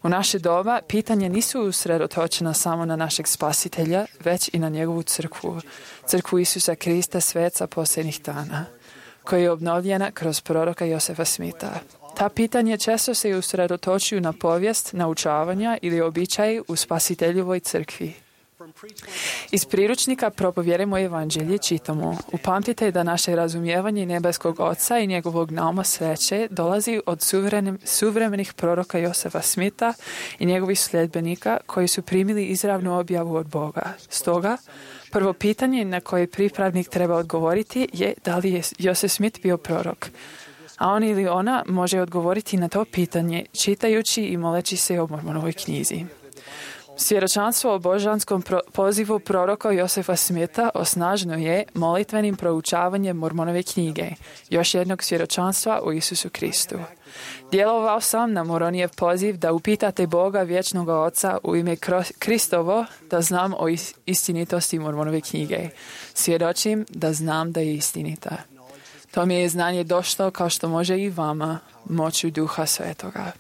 U naše doba pitanja nisu usredotočena samo na našeg Spasitelja, već i na njegovu crkvu, crkvu Isusa Krista, sveca posljednjih dana, koja je obnovljena kroz proroka Josefa Smitha. Ta pitanja često se usredotočuju na povijest, naučavanja ili običaje u Spasiteljevoj crkvi. Iz priručnika Propovjedajmo evanđelje čitamo: upamtite da naše razumijevanje nebeskog Oca i njegovog nauma sreće dolazi od suvremenih proroka Josefa Smitha i njegovih sljedbenika koji su primili izravnu objavu od Boga. Stoga, prvo pitanje na koje pripravnik treba odgovoriti je da li je Josef Smith bio prorok. A on ili ona može odgovoriti na to pitanje čitajući i moleći se o Mormonovoj knjizi. Svjedočanstvo o božanskom pozivu proroka Josefa Smitha osnaženo je molitvenim proučavanjem Mormonove knjige, još jednog svjedočanstva o Isusu Kristu. Djelovao sam na Moronijev poziv da upitate Boga vječnog Oca u ime Kristovo da znam o istinitosti Mormonove knjige. Svjedočim da znam da je istinita. To mi je znanje došlo kao što može i vama moću Duha Svetoga.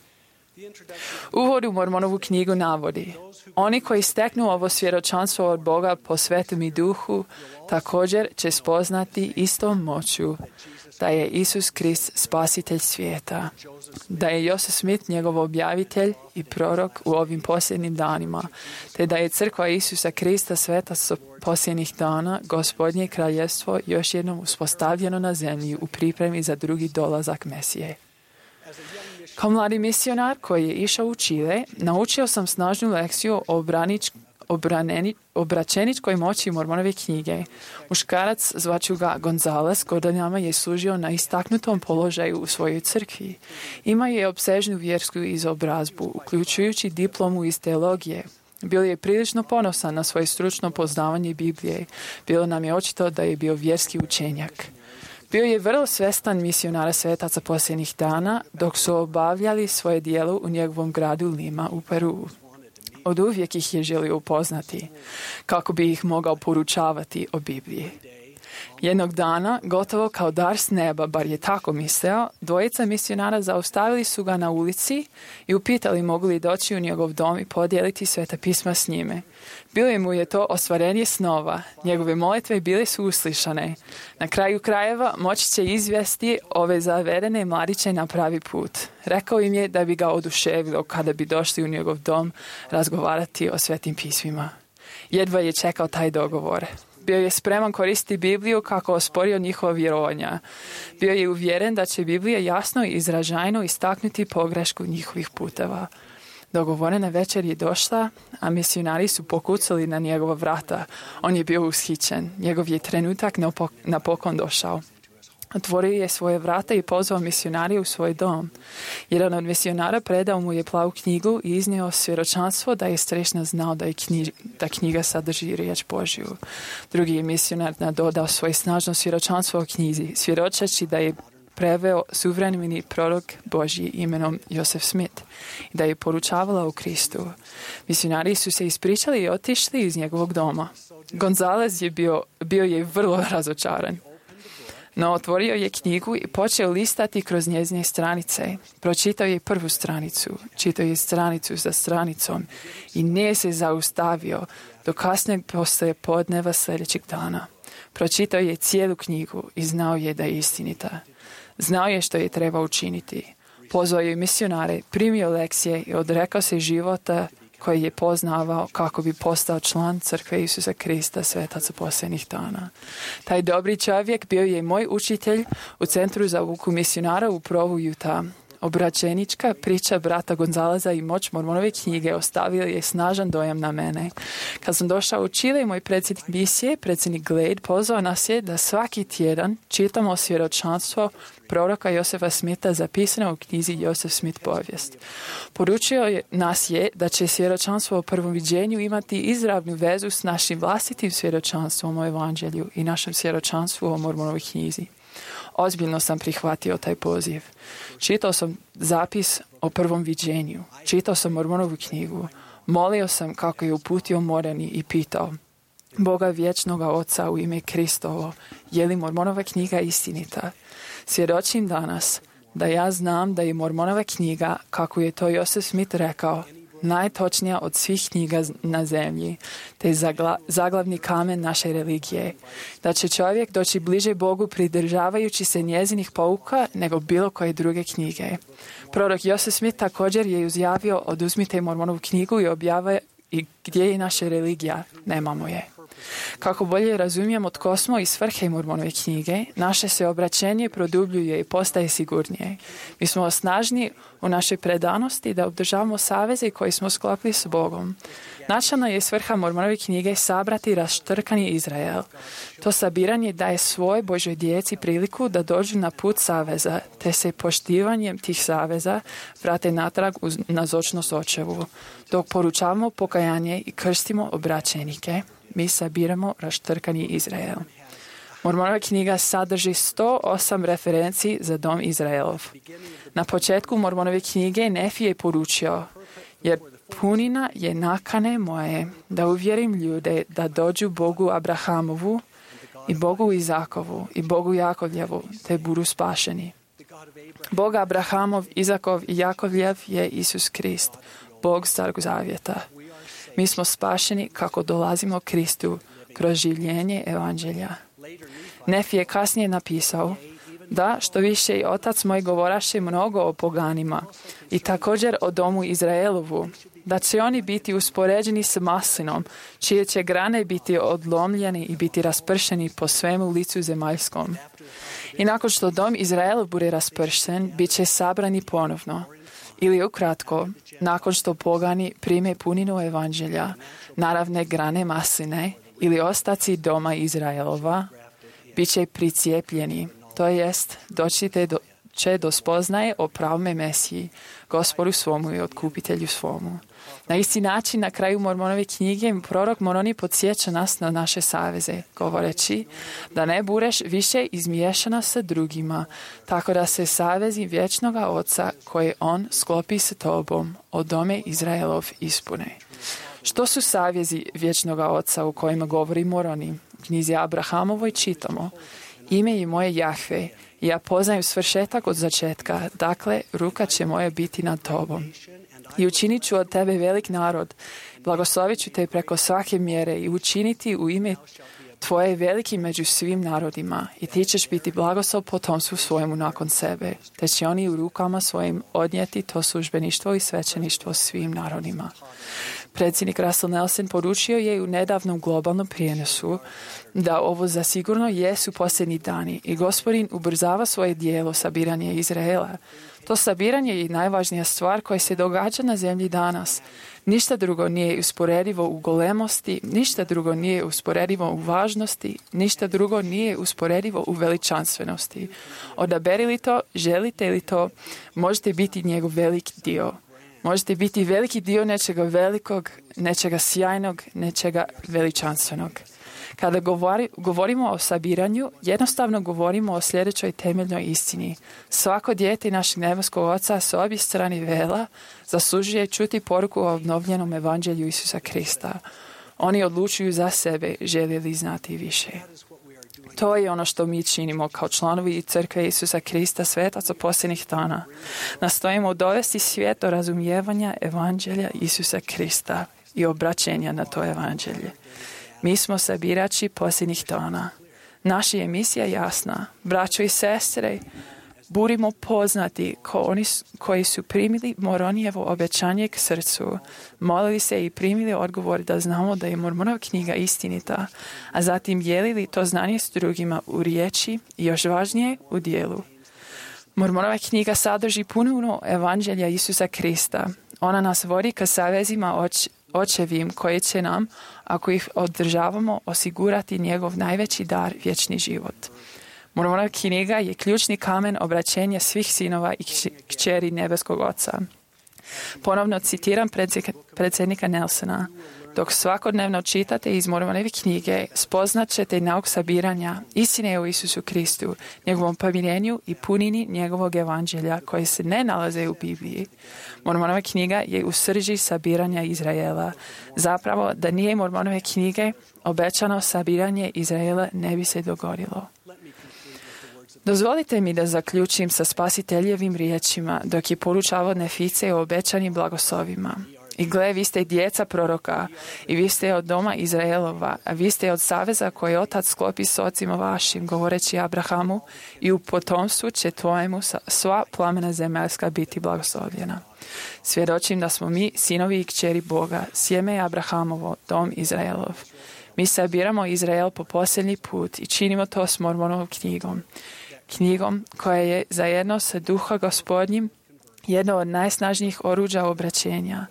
Uvod u Mormonovu knjigu navodi: oni koji steknu ovo svjedočanstvo od Boga po Svetom i Duhu također će spoznati istom moću da je Isus Krist spasitelj svijeta, da je Joseph Smith njegov objavitelj i prorok u ovim posljednjim danima, te da je crkva Isusa Krista svetac posljednjih dana, Gospodnje kraljevstvo još jednom uspostavljeno na zemlji u pripremi za drugi dolazak Mesije. Kao mladi misionar koji je išao u Čile, naučio sam snažnu lekciju o obraćeničkoj moći Mormonove knjige. Muškarac, zvaću ga Gonzales, godinama je služio na istaknutom položaju u svojoj crkvi. Imao je opsežnu vjersku izobrazbu, uključujući diplomu iz teologije. Bio je prilično ponosan na svoje stručno poznavanje Biblije. Bilo nam je očito da je bio vjerski učenjak. Bio je vrlo svjestan misionara svetaca posljednjih dana dok su obavljali svoje djelo u njegovom gradu Lima u Peru. Od uvijek ih je želio upoznati kako bi ih mogao poručavati o Bibliji. Jednog dana, gotovo kao dar s neba, bar je tako mislio, dvojica misionara zaustavili su ga na ulici i upitali mogu li doći u njegov dom i podijeliti Sveta pisma s njime. Bilo mu je to ostvarenje snova. Njegove molitve bile su uslišane. Na kraju krajeva moći će izvesti ove zavedene mladiće na pravi put. Rekao im je da bi ga oduševilo kada bi došli u njegov dom razgovarati o Svetim pismima. Jedva je čekao taj dogovor. Bio je spreman koristiti Bibliju kako osporio njihova vjerovanja. Bio je uvjeren da će Biblija jasno i izražajno istaknuti pogrešku njihovih puteva. Dogovorena večer je došla, a misionari su pokucali na njegova vrata. On je bio ushićen. Njegov je trenutak napokon došao. Otvorio je svoje vrata i pozvao misionari u svoj dom. Jedan od misionara predao mu je plavu knjigu i iznio svjedočanstvo da je strešno znao da knjiga sadrži riječ Božju. Drugi je misionar nadodao svoje snažno svjedočanstvo o knjizi, svjedočeći da je preveo suvremeni prorok Božji imenom Joseph Smith i da je poručavala o Kristu. Misionari su se ispričali i otišli iz njegovog doma. Gonzales je bio je vrlo razočaran. No otvorio je knjigu i počeo listati kroz njezine stranice. Pročitao je prvu stranicu, čitao je stranicu za stranicom i nije se zaustavio do kasnijeg poslije podneva sljedećeg dana. Pročitao je cijelu knjigu i znao je da je istinita. Znao je što je trebao učiniti. Pozvao je misionare, primio lekcije i odrekao se života koji je poznavao kako bi postao član crkve Isusa Krista svetaca posljednjih dana. Taj dobri čovjek bio je moj učitelj u Centru za obuku misionara u Provu, Utah. Obraćenička priča brata Gonzaleza i moć Mormonove knjige ostavila je snažan dojam na mene. Kad sam došao u Čile, moj predsjednik misije, predsjednik Glade, pozvao nas je da svaki tjedan čitamo svjedočanstvo proroka Josefa Smitha zapisano u knjizi Joseph Smith povijest. Poručio nas je da će svjedočanstvo o prvom viđenju imati izravnu vezu s našim vlastitim svjedočanstvom o evanđelju i našem svjedočanstvu o Mormonovoj knjizi. Ozbiljno sam prihvatio taj poziv. Čitao sam zapis o prvom viđenju. Čitao sam Mormonovu knjigu. Molio sam kako je uputio Moreni i pitao Boga vječnoga Oca u ime Kristovo, je li Mormonova knjiga istinita? Svjedočim danas da ja znam da je Mormonova knjiga, kako je to Joseph Smith rekao, najtočnija od svih knjiga na zemlji, te zaglavni kamen naše religije. Da će čovjek doći bliže Bogu pridržavajući se njezinih pouka nego bilo koje druge knjige. Prorok Joseph Smith također je izjavio oduzmite Mormonovu knjigu i objave i gdje je naša religija, nemamo je. Kako bolje razumijemo tko smo i svrhe Mormonove knjige, naše se obraćenje produbljuje i postaje sigurnije. Mi smo snažni u našoj predanosti da obdržavamo saveze koji smo sklopili s Bogom. Načelna je svrha Mormonove knjige sabrati raštrkani Izrael. To sabiranje daje svoj Božoj djeci priliku da dođu na put saveza, te se poštivanjem tih saveza vrate natrag uz nazočnost očevu. Dok poručavamo pokajanje i krstimo obraćenike, mi sabiramo raštrkani Izrael. Mormonova knjiga sadrži 108 referenciji za dom Izraelov. Na početku Mormonove knjige Nefi je poručio, jer punina je nakane moje da uvjerim ljude da dođu Bogu Abrahamovu i Bogu Izakovu i Bogu Jakovljevu, te budu spašeni. Bog Abrahamov, Izakov i Jakovljev je Isus Krist, Bog Starog Zavjeta. Mi smo spašeni kako dolazimo Kristu kroz življenje evanđelja. Nefi je kasnije napisao da što više i otac moj govoraše mnogo o poganima i također o domu Izraelovu, da će oni biti uspoređeni s maslinom, čije će grane biti odlomljeni i biti raspršeni po svemu licu zemaljskom. I nakon što dom Izraelov bude raspršen, bit će sabrani ponovno. Ili ukratko, nakon što pogani prime puninu evanđelja, naravne grane masline ili ostaci doma Izraelova, bit će pricijepljeni, to jest doći će do spoznaje o pravome Mesiji, Gospodu svomu i otkupitelju svomu. Na isti način, na kraju Mormonove knjige, prorok Moroni podsjeća nas na naše saveze, govoreći da ne budeš više izmiješana sa drugima, tako da se savezi vječnoga Oca koje on sklopi s tobom o dome Izraelov ispune. Što su savezi vječnoga Oca u kojima govori Moroni? U knjizi Abrahamovoj čitamo: ime je moje Jahve, i ja poznajem svršetak od začetka, dakle ruka će moja biti nad tobom. I učinit ću od tebe velik narod, blagoslovit ću te preko svake mjere i učiniti u ime tvoje veliki među svim narodima, i ti ćeš biti blagoslov potomstvu svojemu nakon sebe, te će oni u rukama svojim odnijeti to službeništvo i svećeništvo svim narodima. Predsjednik Russell Nelson poručio je u nedavnom globalnom prijenosu da ovo zasigurno jesu posljednji dani i Gospodin ubrzava svoje dijelo sabiranje Izraela. To sabiranje je najvažnija stvar koja se događa na zemlji danas. Ništa drugo nije usporedivo u golemosti, ništa drugo nije usporedivo u važnosti, ništa drugo nije usporedivo u veličanstvenosti. Odaberili to, želite li to, možete biti njegov veliki dio. Možete biti veliki dio nečega velikog, nečega sjajnog, nečega veličanstvenog. Kada govorimo o sabiranju, jednostavno govorimo o sljedećoj temeljnoj istini. Svako dijete našeg nebeskog Oca s obje strane vela zaslužuje čuti poruku o obnovljenom evanđelju Isusa Krista. Oni odlučuju za sebe, žele li znati više. To je ono što mi činimo kao članovi Crkve Isusa Krista, svetaca posljednjih dana. Nastojimo dovesti svijet do razumijevanja evanđelja Isusa Krista i obraćenja na to evanđelje. Mi smo sabirači posljednjih dana. Naša je misija jasna. Braćo i sestre, budimo poznati kao oni koji su primili Moronijevo obećanje k srcu, molili se i primili odgovor da znamo da je Mormonova knjiga istinita, a zatim dijelili to znanje s drugima u riječi i još važnije u dijelu. Mormonova knjiga sadrži puno evanđelja Isusa Krista. Ona nas vodi ka savezima očevim koji će nam, ako ih održavamo, osigurati njegov najveći dar, vječni život. Mormonova knjiga je ključni kamen obraćenja svih sinova i kćeri nebeskog Oca. Ponovno citiram predsjednika Nelsona. Dok svakodnevno čitate iz Mormonove knjige, spoznat ćete nauk sabiranja, istine o Isusu Kristu, njegovom pomirenju i punini njegovog evanđelja koje se ne nalaze u Bibliji. Mormonova knjiga je u srži sabiranja Izraela. Zapravo, da nije Mormonove knjige, obećano sabiranje Izraela ne bi se dogodilo. Dozvolite mi da zaključim sa Spasiteljevim riječima dok je poručavao Nefice o obećanim blagoslovima. I gle, vi ste djeca proroka i vi ste od doma Izraelova, a vi ste od saveza koji otac sklopi s ocima vašim, govoreći Abrahamu, i u potomstvu će tvojemu sva plamena zemaljska biti blagoslovljena. Svjedočim da smo mi sinovi i kćeri Boga, sjeme Abrahamovo, dom Izraelov. Mi sabiramo Izrael po posljednji put i činimo to s Mormonovom knjigom. Knjigom koja je zajedno sa Duha Gospodnjim jedno od najsnažnijih oruđa obraćenja.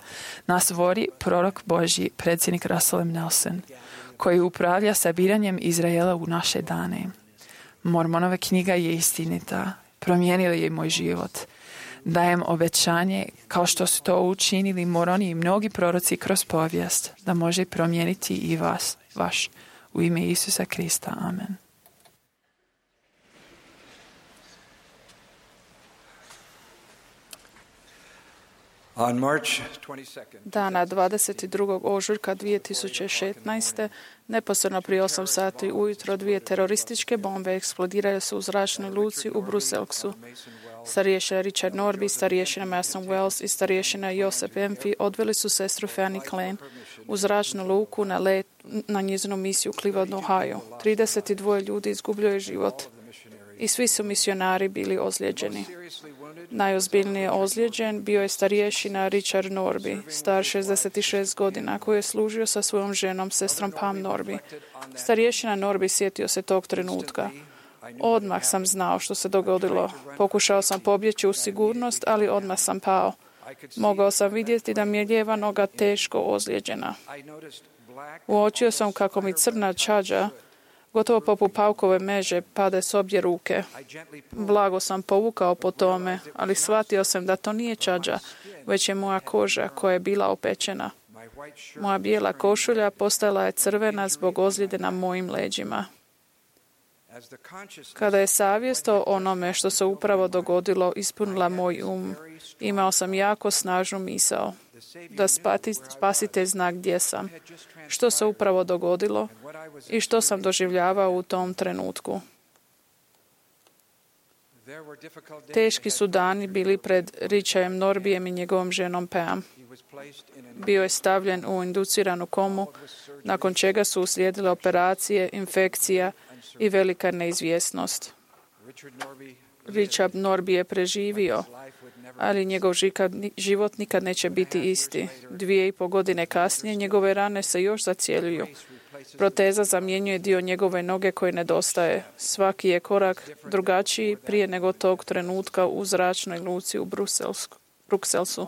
Nas vodi prorok Božji, predsjednik Russell M. Nelson, koji upravlja sabiranjem Izraela u naše dane. Mormonova knjiga je istinita. Promijenila je moj život. Dajem obećanje, kao što su to učinili Moroni i mnogi proroci kroz povijest, da može promijeniti i vaš. U ime Isusa Krista. Amen. Dana 22. ožujka 2016. neposredno prije 8 sati ujutro 2 terorističke bombe eksplodiraju su u zračnoj luci u Bruselsu. Starješina Richard Norby, starješina Mason Wells i starješina Joseph Emphy odveli su sestru Fanny Klein u zračnu luku na let na njezinu misiju u Cleveland, Ohio. 32 ljudi izgubilo je život i svi su misionari bili ozlijeđeni. Najozbiljnije ozlijeđen bio je starješina Richard Norby, star 66 godina, koji je služio sa svojom ženom, sestrom Pam Norby. Starješina Norby sjetio se tog trenutka. Odmah sam znao što se dogodilo. Pokušao sam pobjeći u sigurnost, ali odmah sam pao. Mogao sam vidjeti da mi je lijeva noga teško ozlijeđena. Uočio sam kako mi crna čađa, gotovo poput paukove meže, pada s obje ruke. Blago sam povukao po tome, ali shvatio sam da to nije čađa, već je moja koža koja je bila opečena. Moja bijela košulja postala je crvena zbog ozljede na mojim leđima. Kada je savjest o onome što se upravo dogodilo ispunila moj imao sam jako snažnu misao da spasite zna gdje sam, što se upravo dogodilo i što sam doživljavao u tom trenutku. Teški su dani bili pred Richardom Norbyjem i njegovom ženom Pam. Bio je stavljen u induciranu komu, nakon čega su uslijedile operacije, infekcija i velika neizvjesnost. Richard Norby je preživio, ali njegov život nikad neće biti isti. 2,5 godine kasnije njegove rane se još zacjeljuju. Proteza zamjenjuje dio njegove noge koji nedostaje. Svaki je korak drugačiji prije nego tog trenutka u zračnoj luci u Brukselsu.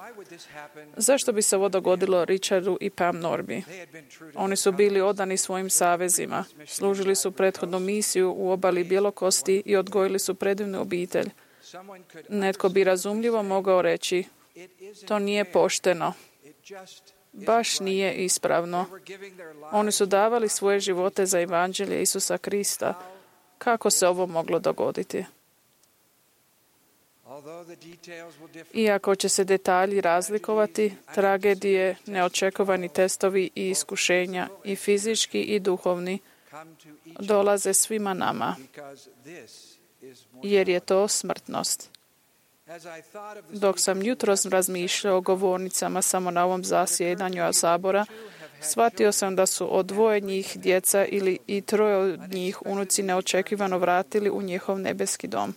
Zašto bi se ovo dogodilo Richardu i Pam Norby? Oni su bili odani svojim savezima. Služili su prethodnu misiju u obali Bjelokosti i odgojili su predivnu obitelj. Netko bi razumljivo mogao reći, to nije pošteno. Baš nije ispravno. Oni su davali svoje živote za evanđelje Isusa Krista. Kako se ovo moglo dogoditi? Iako će se detalji razlikovati, tragedije, neočekivani testovi i iskušenja, i fizički i duhovni, dolaze svima nama, jer je to smrtnost. Dok sam jutros razmišljao o govornicama samo na ovom zasjedanju sabora, shvatio sam da su od 2 njih djeca ili i 3 od njih unuci neočekivano vratili u njihov nebeski dom.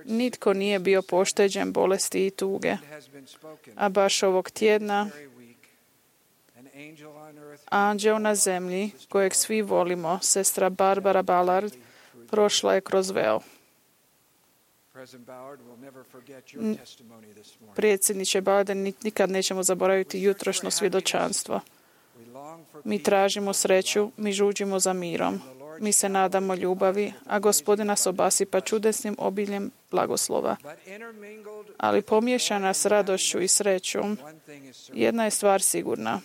Nitko nije bio pošteđen bolesti i tuge. A baš ovog tjedna anđeo na zemlji, kojeg svi volimo, sestra Barbara Ballard, prošla je kroz veo. Predsjedniče Biden, nikad nećemo zaboraviti jutrošnjo svjedočanstvo. Mi tražimo sreću, mi žuđimo za mirom. Mi se nadamo ljubavi, a Gospodin nas obasipa čudesnim obiljem blagoslova. Ali pomiješana s radošću i srećom, jedna je stvar sigurna.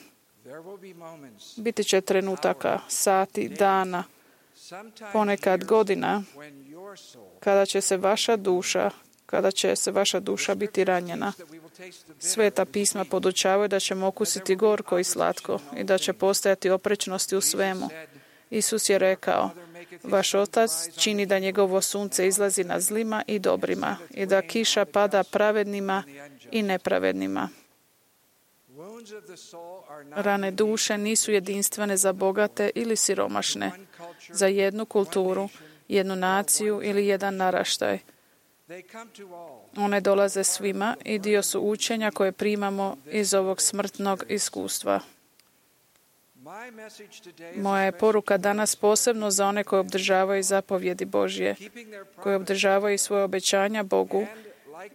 Biti će trenutaka, sati, dana, ponekad godina, kada će se vaša duša biti ranjena. Sveta pisma podučavaju da ćemo okusiti gorko i slatko i da će postojati oprečnosti u svemu. Isus je rekao, vaš otac čini da njegovo sunce izlazi na zlima i dobrima i da kiša pada pravednima i nepravednima. Rane duše nisu jedinstvene za bogate ili siromašne, za jednu kulturu, jednu naciju ili jedan naraštaj. One dolaze svima i dio su učenja koje primamo iz ovog smrtnog iskustva. Moja je poruka danas posebno za one koji obdržavaju zapovjedi Božje, koji obdržavaju svoje obećanja Bogu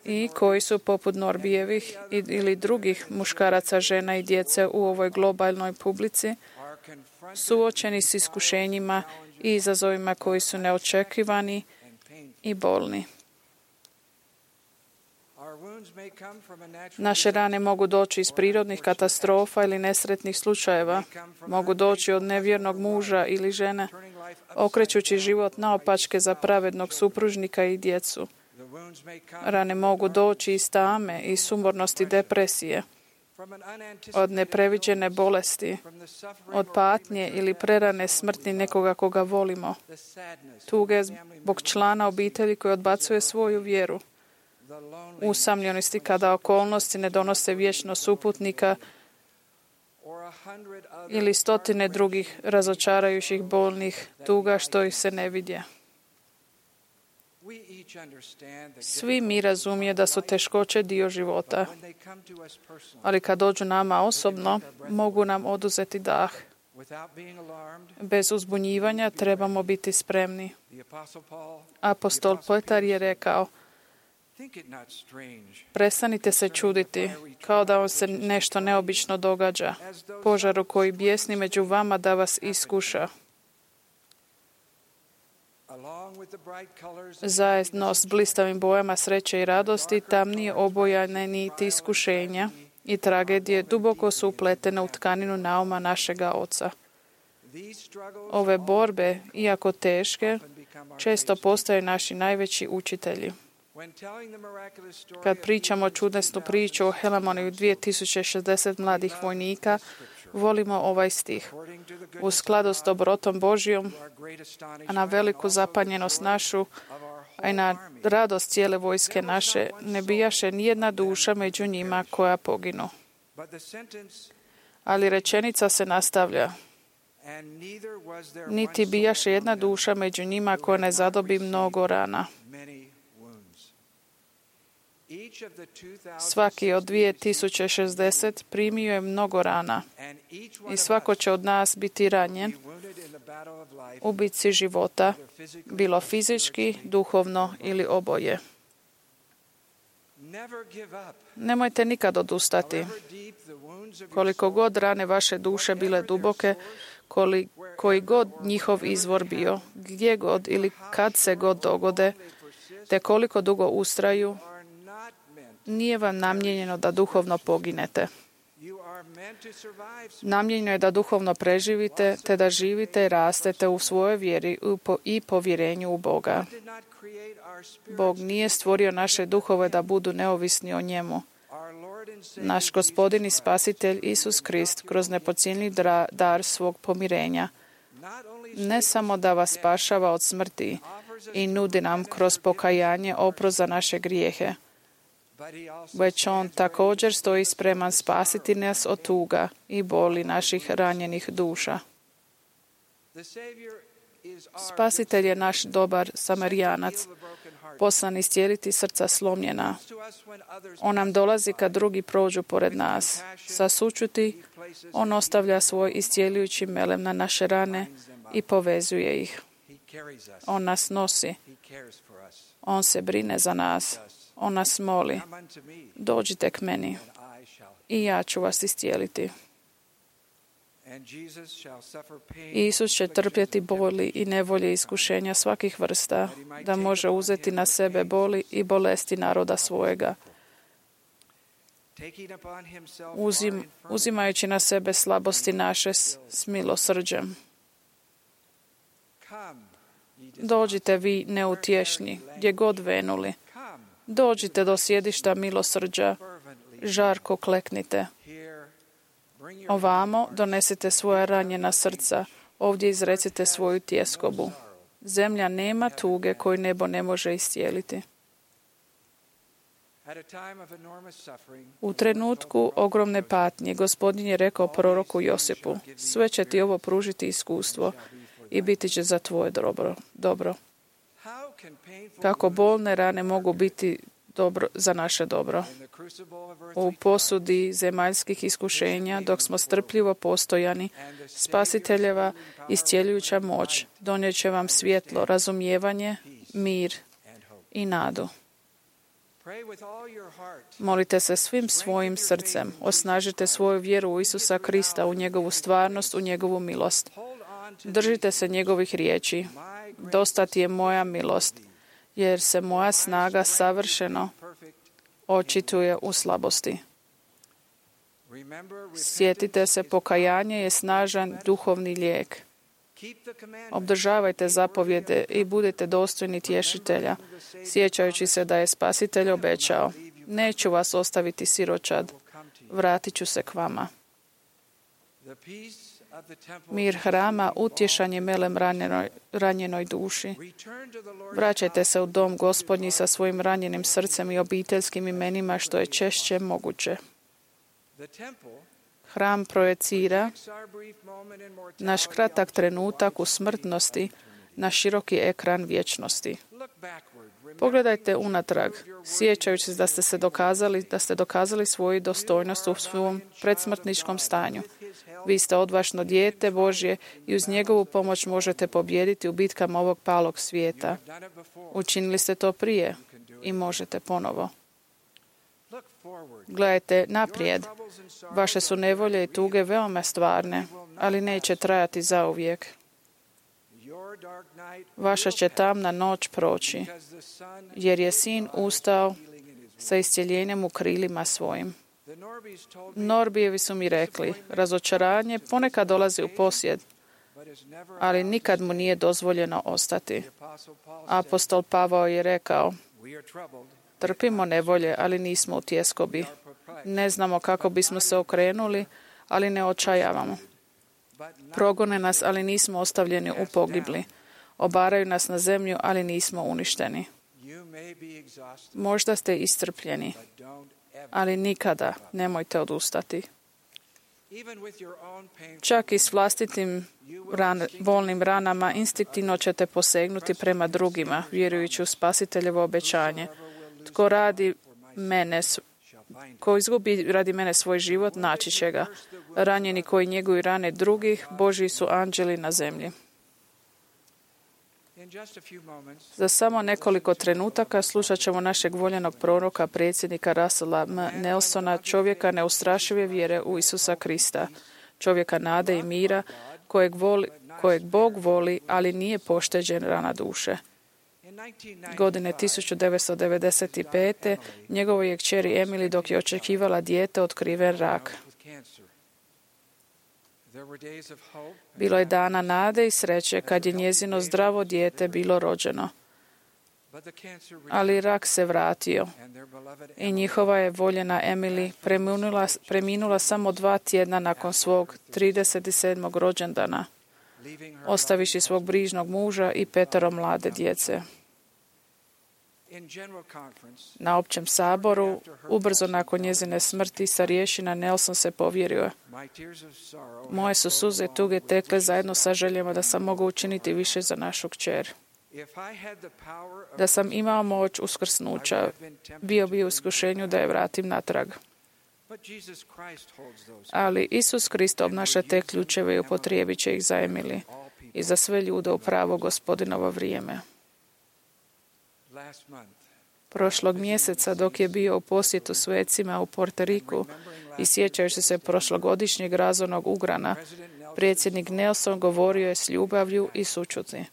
i koji su poput Norbijevih ili drugih muškaraca, žena i djece u ovoj globalnoj publici suočeni s iskušenjima i izazovima koji su neočekivani i bolni. Naše rane mogu doći iz prirodnih katastrofa ili nesretnih slučajeva, mogu doći od nevjernog muža ili žene, okrećući život naopačke za pravednog supružnika i djecu. Rane mogu doći iz tame i sumornosti depresije, od nepreviđene bolesti, od patnje ili prerane smrti nekoga koga volimo, tuge zbog člana obitelji koji odbacuje svoju vjeru, usamljenosti kada okolnosti ne donose vječno suputnika ili stotine drugih razočarajućih bolnih tuga što ih se ne vidje. Svi mi razumije da su teškoće dio života, ali kad dođu nama osobno, mogu nam oduzeti dah. Bez uzbunjivanja trebamo biti spremni. Apostol Petar je rekao: prestanite se čuditi, kao da vam se nešto neobično događa, požaru koji bijesni među vama da vas iskuša. Zajedno s blistavim bojama sreće i radosti, tamnije obojane niti iskušenja i tragedije duboko su upletene u tkaninu nauma našega Oca. Ove borbe, iako teške, često postaju naši najveći učitelji. Kad pričamo čudesnu priču o Helamoniju 2060 mladih vojnika, volimo ovaj stih. U skladu s dobrotom Božjom, a na veliku zapanjenost našu, a i na radost cijele vojske naše, ne bijaše nijedna duša među njima koja poginu. Ali rečenica se nastavlja. Niti bijaše jedna duša među njima koja ne zadobi mnogo rana. Svaki od 2060 primio je mnogo rana i svako će od nas biti ranjen u bitci života, bilo fizički, duhovno ili oboje. Nemojte nikad odustati. Koliko god rane vaše duše bile duboke, koji god njihov izvor bio, gdje god ili kad se god dogode, te koliko dugo ustraju, nije vam namijenjeno da duhovno poginete. Namijenjeno je da duhovno preživite, te da živite i rastete u svojoj vjeri i povjerenju u Boga. Bog nije stvorio naše duhove da budu neovisni o njemu. Naš Gospodin i Spasitelj Isus Krist kroz nepocijenjiv dar svog pomirenja ne samo da vas spašava od smrti i nudi nam kroz pokajanje oprost za naše grijehe, već on također stoji spreman spasiti nas od tuga i boli naših ranjenih duša. Spasitelj je naš dobar Samarijanac, poslan iscijeliti srca slomljena. On nam dolazi kad drugi prođu pored nas. Sa sućuti on ostavlja svoj iscijeljujući melem na naše rane i povezuje ih. On nas nosi. On se brine za nas. On nas moli: dođite k meni i ja ću vas iscijeliti. Isus će trpjeti boli i nevolje iskušenja svakih vrsta, da može uzeti na sebe boli i bolesti naroda svojega. Uzimajući na sebe slabosti naše s milosrđem. Dođite vi neutješni, gdje god venuli. Dođite do sjedišta milosrđa, žarko kleknite. Ovamo donesite svoja ranjena srca, ovdje izrecite svoju tjeskobu. Zemlja nema tuge koju nebo ne može iscijeliti. U trenutku ogromne patnje Gospodin je rekao proroku Josipu: sve će ti ovo pružiti iskustvo i biti će za tvoje dobro. Kako bolne rane mogu biti dobro, za naše dobro. U posudi zemaljskih iskušenja, dok smo strpljivo postojani, Spasiteljeva iscjeljujuća moć donijet će vam svjetlo, razumijevanje, mir i nadu. Molite se svim svojim srcem, osnažite svoju vjeru u Isusa Krista, u njegovu stvarnost, u njegovu milost. Držite se njegovih riječi. Dosta ti je moja milost, jer se moja snaga savršeno očituje u slabosti. Sjetite se, pokajanje je snažan duhovni lijek. Obdržavajte zapovjede i budite dostojni tješitelja, sjećajući se da je Spasitelj obećao: neću vas ostaviti siročad, vratit ću se k vama. Mir hrama utješan je melem ranjenoj duši. Vraćajte se u dom Gospodnji sa svojim ranjenim srcem i obiteljskim imenima što je češće moguće. Hram projecira naš kratak trenutak u smrtnosti na široki ekran vječnosti. Pogledajte unatrag, sjećajući se da ste dokazali svoju dostojnost u svom predsmrtničkom stanju. Vi ste odvažno dijete Božje i uz njegovu pomoć možete pobijediti u bitkama ovog palog svijeta. Učinili ste to prije i možete ponovo. Gledajte naprijed. Vaše su nevolje i tuge veoma stvarne, ali neće trajati zauvijek. Vaša će tamna noć proći, jer je Sin ustao sa iscjeljenjem u krilima svojim. Norbijevi su mi rekli: razočaranje ponekad dolazi u posjed, ali nikad mu nije dozvoljeno ostati. Apostol Pavao je rekao: trpimo nevolje, ali nismo u tjeskobi. Ne znamo kako bismo se okrenuli, ali ne očajavamo. Progone nas, ali nismo ostavljeni u pogibli. Obaraju nas na zemlju, ali nismo uništeni. Možda ste iscrpljeni, ali nikada nemojte odustati. Čak i s vlastitim bolnim ranama instinktivno ćete posegnuti prema drugima, vjerujući u Spasiteljevo obećanje. Ko izgubi radi mene svoj život, naći će ga. Ranjeni koji njeguju rane drugih, Božji su anđeli na zemlji. Za samo nekoliko trenutaka slušat ćemo našeg voljenog proroka, predsjednika Russella M. Nelsona, čovjeka neustrašive vjere u Isusa Krista, čovjeka nade i mira, kojeg Bog voli, ali nije pošteđen rana duše. Godine 1995. njegovoj je kćeri Emily, dok je očekivala dijete, otkriven rak. Bilo je dana nade i sreće kad je njezino zdravo dijete bilo rođeno. Ali rak se vratio i njihova je voljena Emily preminula samo 2 tjedna nakon svog 37. rođendana, ostaviši svog brižnog muža i 5 mlade djece. Na općem saboru, ubrzo nakon njezine smrti, starješina Nelson se povjerio: moje su suze tuge tekle zajedno sa željama da sam mogao učiniti više za našu kćer. Da sam imao moć uskrsnuća, bio bi u iskušenju da je vratim natrag. Ali Isus Krist obnaša te ključeve i upotrijebit će ih za Emily i za sve ljude u pravo Gospodinovo vrijeme. Prošlog mjeseca, dok je bio u posjetu svecima u Puerto Riku i sjećajući se prošlogodišnjeg razornog ugrana, predsjednik Nelson govorio je s ljubavlju i sućuti: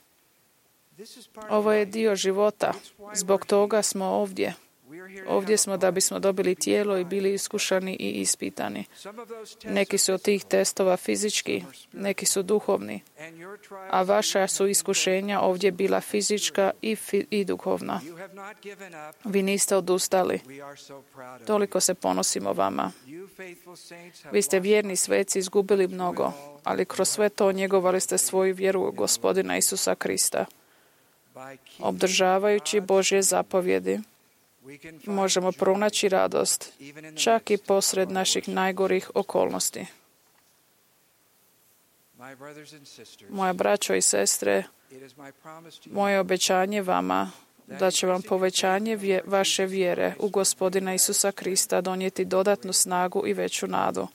ovo je dio života, zbog toga smo ovdje. Ovdje smo da bismo dobili tijelo i bili iskušani i ispitani. Neki su od tih testova fizički, neki su duhovni, a vaša su iskušenja ovdje bila fizička i duhovna. Vi niste odustali. Toliko se ponosimo vama. Vi ste vjerni sveci izgubili mnogo, ali kroz sve to njegovali ste svoju vjeru u Gospodina Isusa Krista. Obdržavajući Božje zapovjedi, možemo pronaći radost, čak i posred naših najgorih okolnosti. Moja braćo i sestre, moje obećanje vama da će vam povećanje vaše vjere u Gospodina Isusa Krista donijeti dodatnu snagu i veću nadu.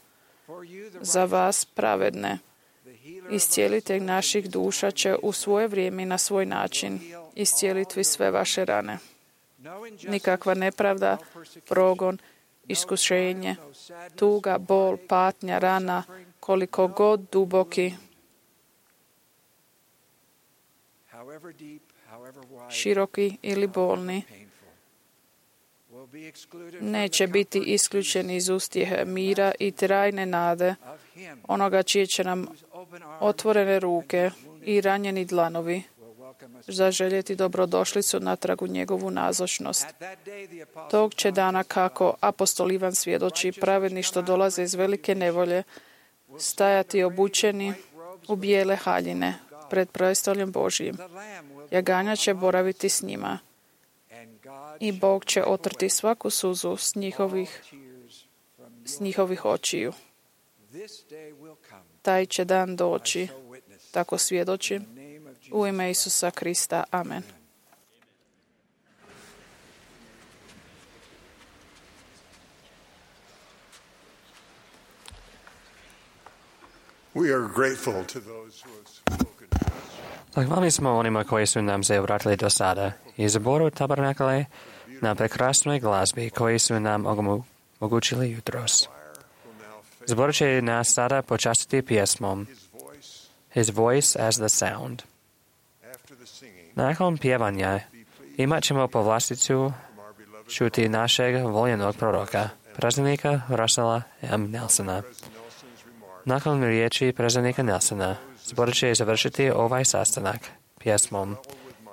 Za vas pravedne, iscijelitelj naših duša će u svoje vrijeme i na svoj način iscijeliti sve vaše rane. Nikakva nepravda, progon, iskušenje, tuga, bol, patnja, rana, koliko god duboki, široki ili bolni, neće biti isključeni iz ustjehe mira i trajne nade onoga čije će nam otvorene ruke i ranjeni dlanovi zaželjeti dobrodošlicu natrag u njegovu nazočnost. Tog će dana, kako apostol Ivan svjedoči, pravedni što dolaze iz velike nevolje, stajati obučeni u bijele haljine pred prestoljem Božjim. Jaganja će boraviti s njima i Bog će otrti svaku suzu s njihovih očiju. Taj će dan doći, tako svjedočim, u ime Isusa Krista. Amen. We are grateful to those who have spoken to us. Zahvalni smo onima koji su nam se obratili do sada i zboru Tabernakle na prekrasnoj glazbi koji su nam omogućili jutros. Zbor će nas sada počastiti pjesmom His Voice as the Sound. Nakon pjevanja imat ćemo povlasticu čuti našeg voljenog proroka, predsjednika Russella M. Nelsona. Nakon riječi predsjednika Nelsona, zbor će završiti ovaj sastanak pjesmom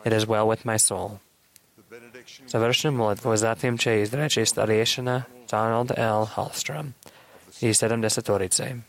It is well with my soul. Završnu molitvu zatim će izreći starješina Donald L. Hallstrom i 70-torice.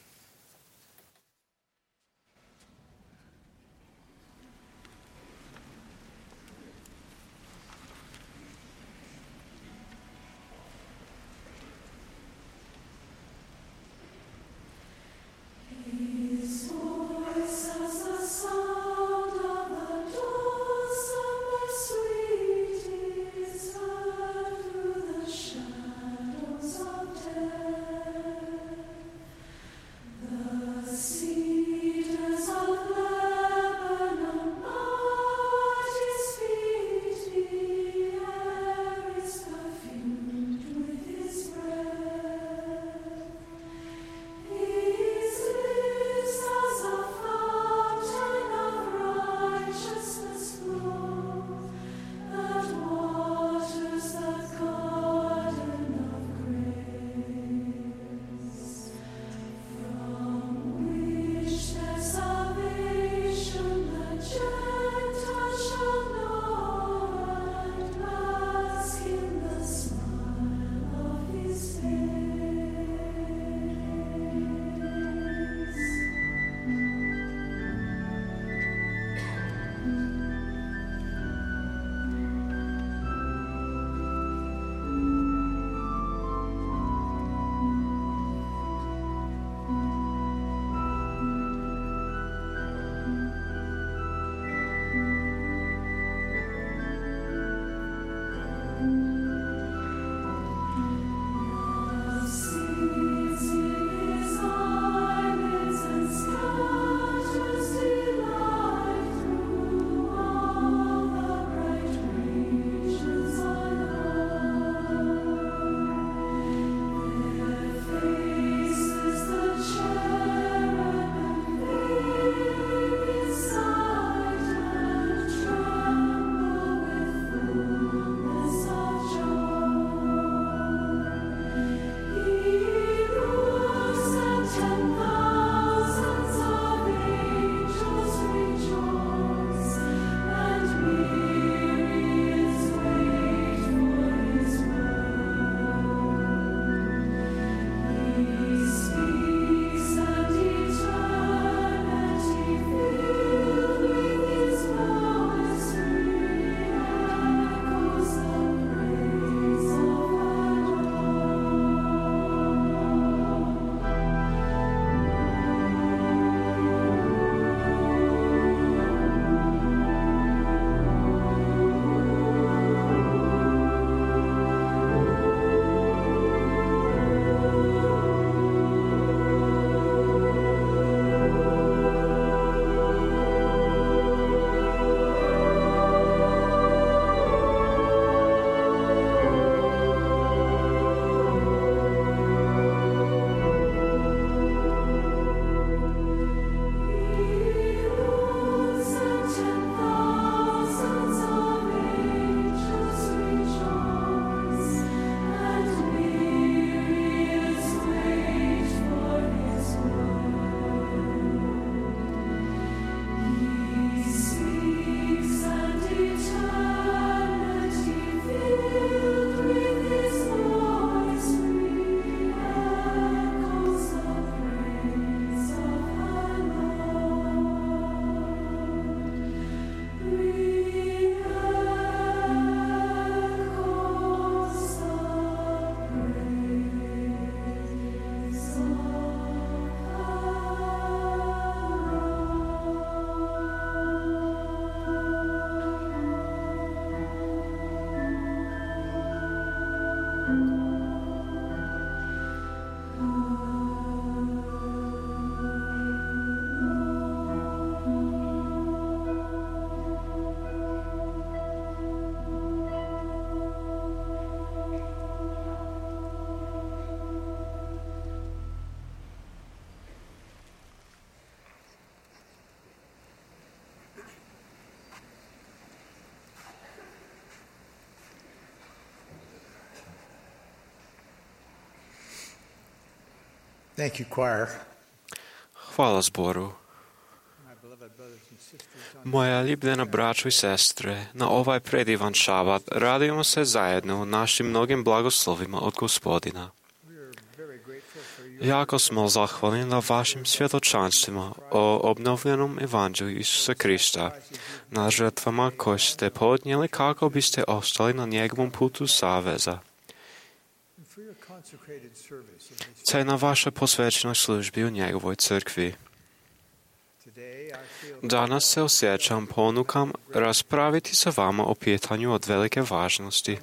Thank you, choir. Hvala zboru. Moja ljubljena braćo i sestre, na ovaj predivan šabat radimo se zajedno našim mnogim blagoslovima od Gospodina. Jako smo zahvalni na vašim svjedočanstvima o obnovljenom evanđelju Isusa Krista, na žrtvama koje ste podnijeli kako biste ostali na njegovom putu saveza, te na vašoj posvećenoj službi u njegovoj crkvi. Danas se osjećam ponukam raspraviti sa vama o pitanju od velike važnosti.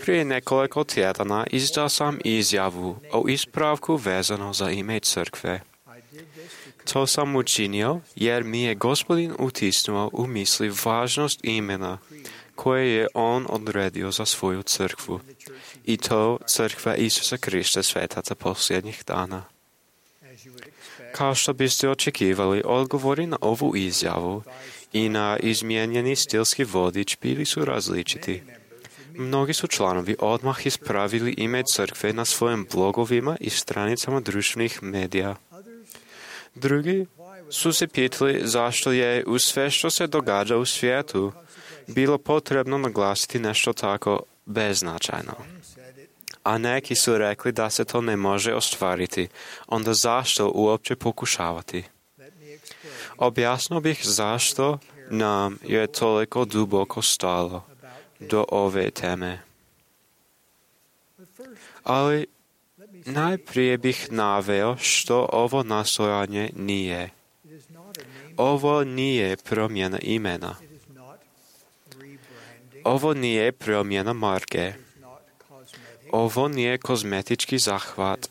Prije nekoliko tjedana izdao sam izjavu o ispravku vezano za ime crkve. To sam učinio jer mi je Gospodin utisnuo u misli važnost imena koje je On odredio za svoju crkvu, i to crkva Isusa Krista svetaca posljednjih dana. Kao što biste očekivali, odgovori na ovu izjavu i na izmijenjeni stilski vodič bili su različiti. Mnogi su članovi odmah ispravili ime crkve na svojim blogovima i stranicama društvenih medija. Drugi su se pitali zašto je uz sve što se događa u svijetu bilo potrebno naglasiti nešto tako beznačajno. A neki su rekli da se to ne može ostvariti, onda zašto uopće pokušavati? Objasnio bih zašto nam je toliko duboko stalo do ove teme. Ali najprije bih naveo što ovo nastojanje nije. Ovo nije promjena imena. Ovo nije promjena marke. Ovo nije kozmetički zahvat.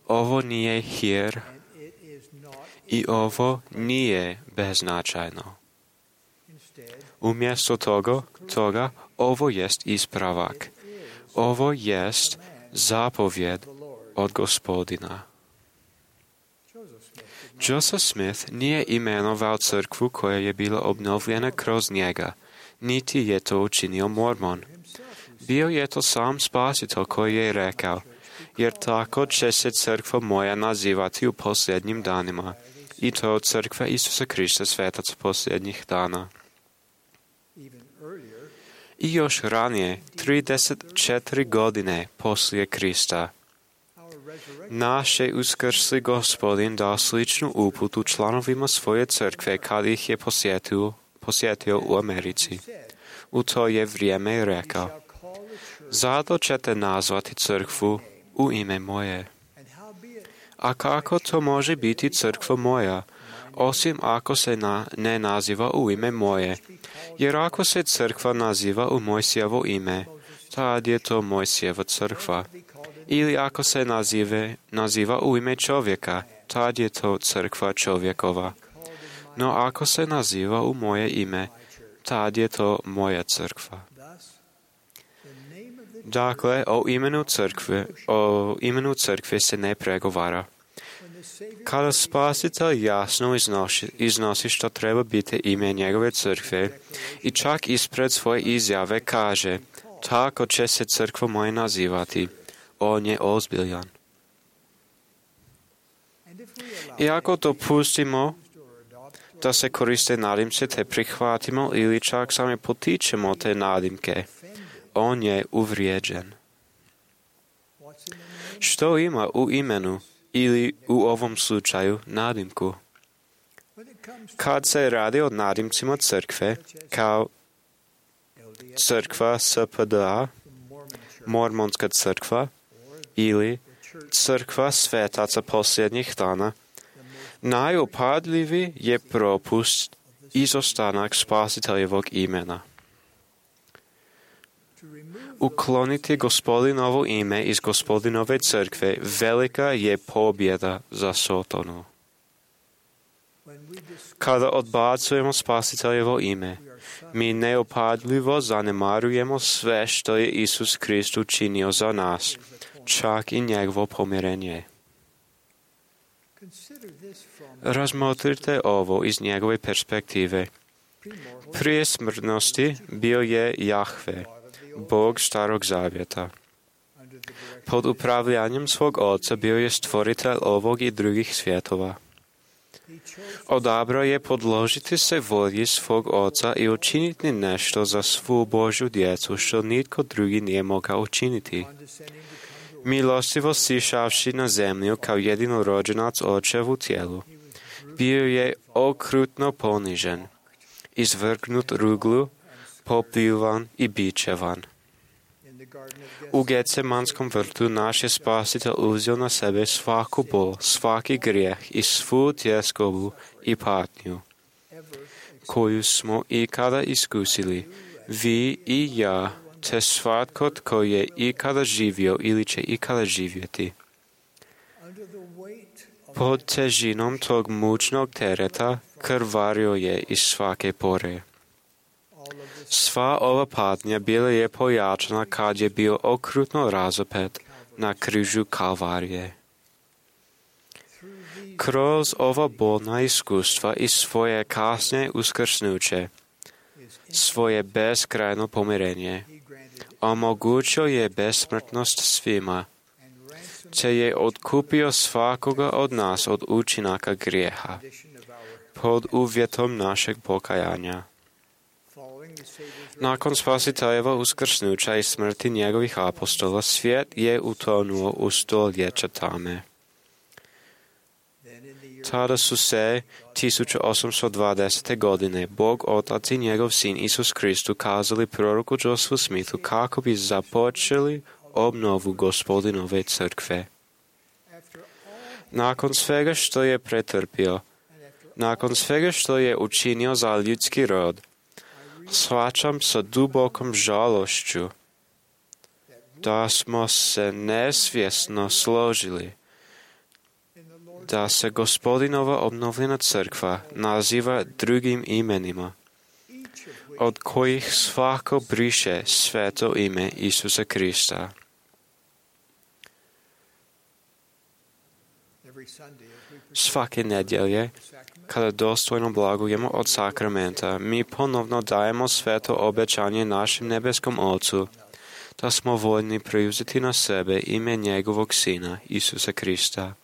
Ovo nije hir. I ovo nije beznačajno. Umjesto toga, ovo jest ispravak. Ovo jest zapovjed od Gospodina. Joseph Smith nije imenovao crkvu koja je bila obnovljena kroz njega, niti je to učinio Mormon. Bio je to sam Spasitelj koji je rekao, jer tako će se crkva moja nazivati u posljednjim danima, i to crkva Isusa Krista svetaca posljednjih dana. I još ranije, 34 godine poslije Krista, naš je uskrsli Gospodin dao sličnu uputu članovima svoje crkve kad ih je posjetio u Americi. U to je vrijeme rekao, zato ćete nazvati crkvu u ime moje. A kako to može biti crkva moja, osim ako se ne naziva u ime moje? Jer ako se crkva naziva u Mojsijevo ime, tad je to Mojsijeva crkva. Ili ako se naziva u ime čovjeka, tad je to crkva čovjekova. No ako se naziva u moje ime, tad je to moja crkva. Dakle, o imenu crkve se ne pregovara. Kada Spasitelj jasno iznosi što treba biti ime njegove crkve i čak ispred svoje izjave kaže, tako će se crkva moja nazivati, on je ozbiljan. I ako to pustimo da se koriste nadimce te prihvatimo ili čak sami potičemo te nadimke, on je uvrijeđen. Što ima u imenu ili u ovom slučaju nadimku? Kad se radi o nadimcima crkve, kao crkva SPDA, Mormonska crkva ili crkva svetaca posljednjih dana, najupadljiviji je propust izostanak Spasiteljevog imena. Ukloniti Gospodinovo ime iz Gospodinove crkve velika je pobjeda za Sotonu. Kada odbacujemo Spasiteljevo ime, mi neupadljivo zanemarujemo sve što je Isus Krist učinio za nas, čak i njegovo pomirenje. Razmotrite ovo iz njegove perspektive. Prije smrtnosti bio je Jahve, Bog Starog Zavjeta. Pod upravljanjem svog oca bio je stvoritelj ovog i drugih svjetova. Odabrao je podložiti se volji svog oca i učiniti nešto za svu Božju djecu, što nitko drugi nije mogao učiniti. Milostivo sišavši na zemlju kao jedinorođenac očevu tijelu, bio je okrutno ponižen, izvrgnut ruglu, popljuvan i bičevan. U Getsemanskom vrtu naš je Spasitelj uzeo na sebe svaku bol, svaki grijeh i svu tjeskobu i patnju, koju smo ikada iskusili, vi i ja, te svatko tko je ikada živio ili će ikada živjeti. Pod težinom tog mučnog tereta krvario je iz svake pore. Sva ova patnja bila je pojačana kad je bio okrutno razapet na križu Kalvarije. Kroz ova bolna iskustva i svoje kasnije uskrsnuće, svoje beskrajno pomirenje, omogućio je besmrtnost svima, te je otkupio svakoga od nas od učinaka grijeha, pod uvjetom našeg pokajanja. Nakon Spasiteljeva uskrsnuća i smrti njegovih apostola, svijet je utonuo u stoljeća tame. Tada su se 1820. godine Bog Otac i njegov Sin Isus Krist ukazali proroku Josephu Smithu kako bi započeli obnovu Gospodinove crkve. Nakon svega što je pretrpio, nakon svega što je učinio za ljudski rod, shvaćam sa dubokom žalošću da smo se nesvjesno složili da se Gospodinova obnovljena crkva naziva drugim imenima, od kojih svako briše sveto ime Isusa Krista. Svake nedjelje, kada dostojno blagujemo od sakramenta, mi ponovno dajemo sveto obećanje našem nebeskom Ocu, da smo voljni preuzeti na sebe ime njegovog Sina, Isusa Krista.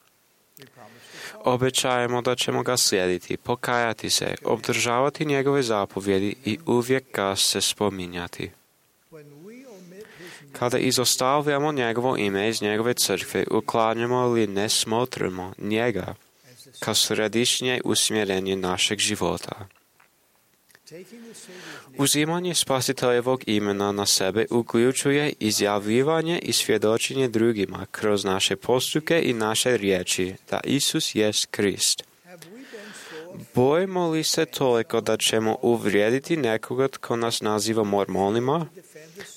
Obećajemo da ćemo ga slijediti, pokajati se, obdržavati njegove zapovjedi i uvijek ga se spominjati. Kada izostavljamo njegovo ime iz njegove crkve, uklanjamo li ne smotrimo njega kao središnje usmjerenje našeg života. Uzimanje Spasiteljevog imena na sebe uključuje izjavljivanje i svjedočenje drugima kroz naše postupke i naše riječi da Isus jest Krist. Bojimo li se toliko da ćemo uvrijediti nekoga tko nas naziva mormonima,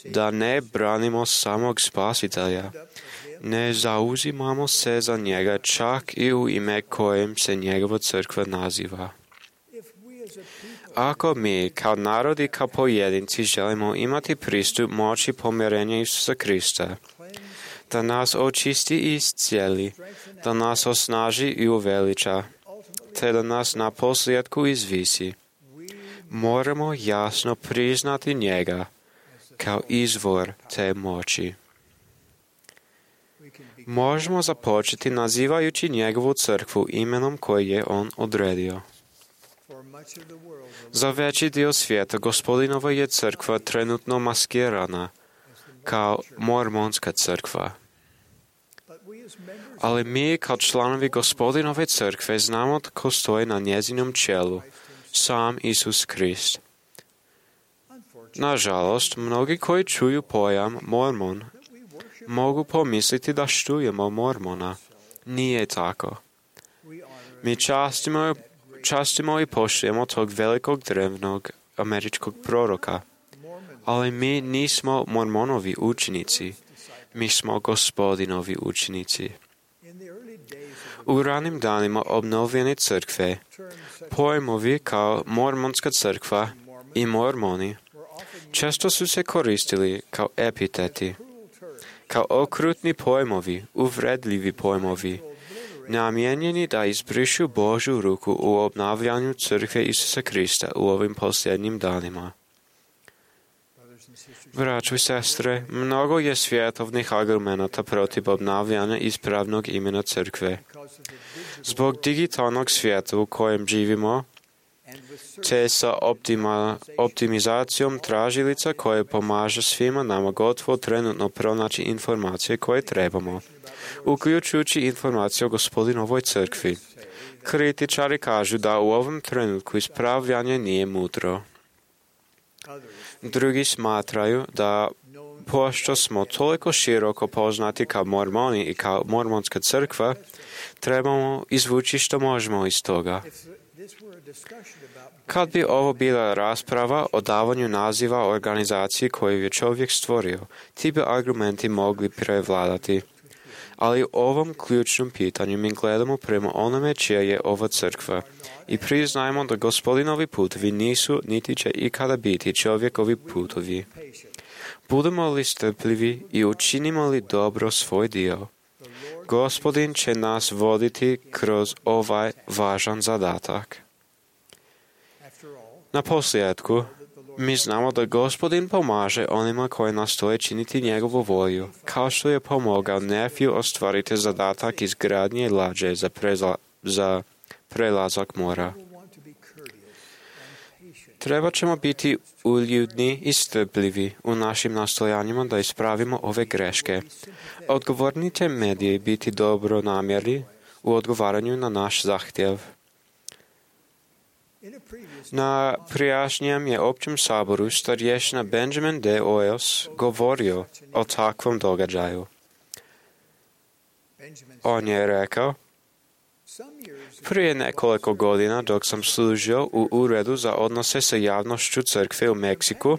da ne branimo samog Spasitelja, ne zauzimamo se za njega čak i u ime kojem se njegova crkva naziva. Ako mi, kao narod i kao pojedinci, želimo imati pristup moći pomirenja Isusa Krista, da nas očisti i iscijeli, da nas osnaži i uveliča, te da nas na posljedku izvisi, moramo jasno priznati njega kao izvor te moći. Možemo započeti nazivajući njegovu crkvu imenom koje je on odredio. Za veći dio svijeta Gospodinova je crkva trenutno maskirana kao mormonska crkva. Ali mi kao članovi Gospodinove crkve znamo tko stoji na njezinom čelu, sam Isus Krist. Nažalost, mnogi koji čuju pojam mormon mogu pomisliti da štujemo mormona. Nije tako. Mi častimo i poštujemo tog velikog drevnog američkog proroka, ali mi nismo mormonovi učenici, mi smo Gospodinovi učenici. U ranim danima obnovljene crkve, pojmovi kao mormonska crkva i mormoni često su se koristili kao epiteti, kao okrutni pojmovi, uvredljivi pojmovi, namijenjeni da izbrišu Božju ruku u obnavljanju crkve Isusa Krista u ovim posljednjim danima. Braćo i sestre, mnogo je svjetovnih argumenata protiv obnavljanja ispravnog imena crkve. Zbog digitalnog svijeta u kojem živimo, te sa optimizacijom tražilica koje pomaže svima nama gotovo trenutno pronaći informacije koje trebamo, uključujući informacije o Gospodinovoj crkvi. Kritičari kažu da u ovom trenutku ispravljanje nije mudro. Drugi smatraju da pošto smo toliko široko poznati kao mormoni i kao mormonska crkva, trebamo izvući što možemo iz toga. Kad bi ovo bila rasprava o davanju naziva organizaciji koju je čovjek stvorio, ti bi argumenti mogli prevladati. Ali u ovom ključnom pitanju mi gledamo prema onome čija je ova crkva i priznajemo da Gospodinovi putovi nisu niti će ikada biti čovjekovi putovi. Budemo li strpljivi i učinimo li dobro svoj dio, Gospodin će nas voditi kroz ovaj važan zadatak. Na posljedku, mi znamo da Gospodin pomaže onima koji nastoje činiti njegovu volju, kao što je pomogao Nefiju ostvariti zadatak izgradnje lađe za prelazak mora. Treba ćemo biti uljudni i strpljivi u našim nastojanjima da ispravimo ove greške. Odgovorni će mediji biti dobro namjerni u odgovaranju na naš zahtjev. Na prijašnjem je općem saboru starješina Benjamin D. Oyos govorio o takvom događaju. On je rekao: prije nekoliko godina dok sam služio u Uredu za odnose sa javnošću crkve u Meksiku,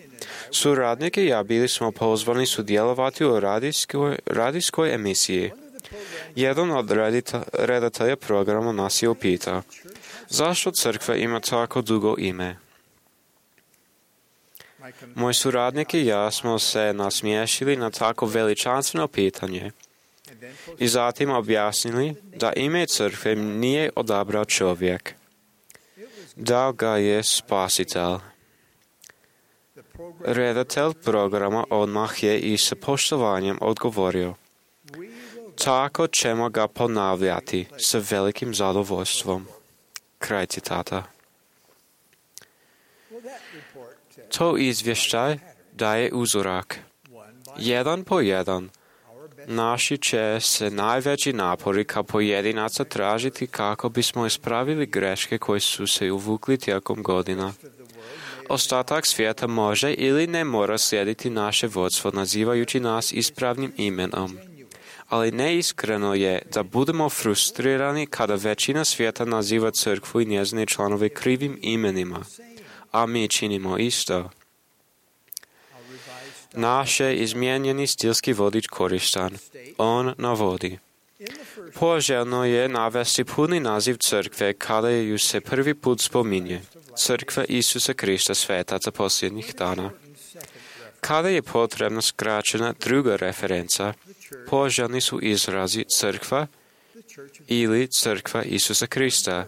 suradnik i ja bili smo pozvani sudjelovati u radijskoj emisiji. Jedan od redatelja programa nas je upitao: zašto crkva ima tako dugo ime? Moj suradnik i ja smo se nasmiješili na tako veličanstveno pitanje i zatim objasnili da ime crkve nije odabrao čovjek. Dao ga je Spasitelj. Redatelj programa odmah je i sa poštovanjem odgovorio: tako ćemo ga ponavljati sa velikim zadovoljstvom. Kraj citata. To izvještaj daje uzorak. Jedan po jedan, naši će se najveći napori kao pojedinaca tražiti kako bismo ispravili greške koje su se uvukli tijekom godina. Ostatak svijeta može ili ne mora slijediti naše vodstvo nazivajući nas ispravnim imenom. Ali neiskreno je da budemo frustrirani kada većina svijeta naziva crkvu i njezine članove krivim imenima, a mi činimo isto. Naš je izmijenjeni stilski vodič koristan. On navodi: poželjno je navesti puni naziv crkve kada ju se prvi put spominje. Crkva Isusa Krista svetaca posljednjih dana. Kada je potrebna skraćena druga referenca, poželjni su izrazi crkva ili crkva Isusa Krista.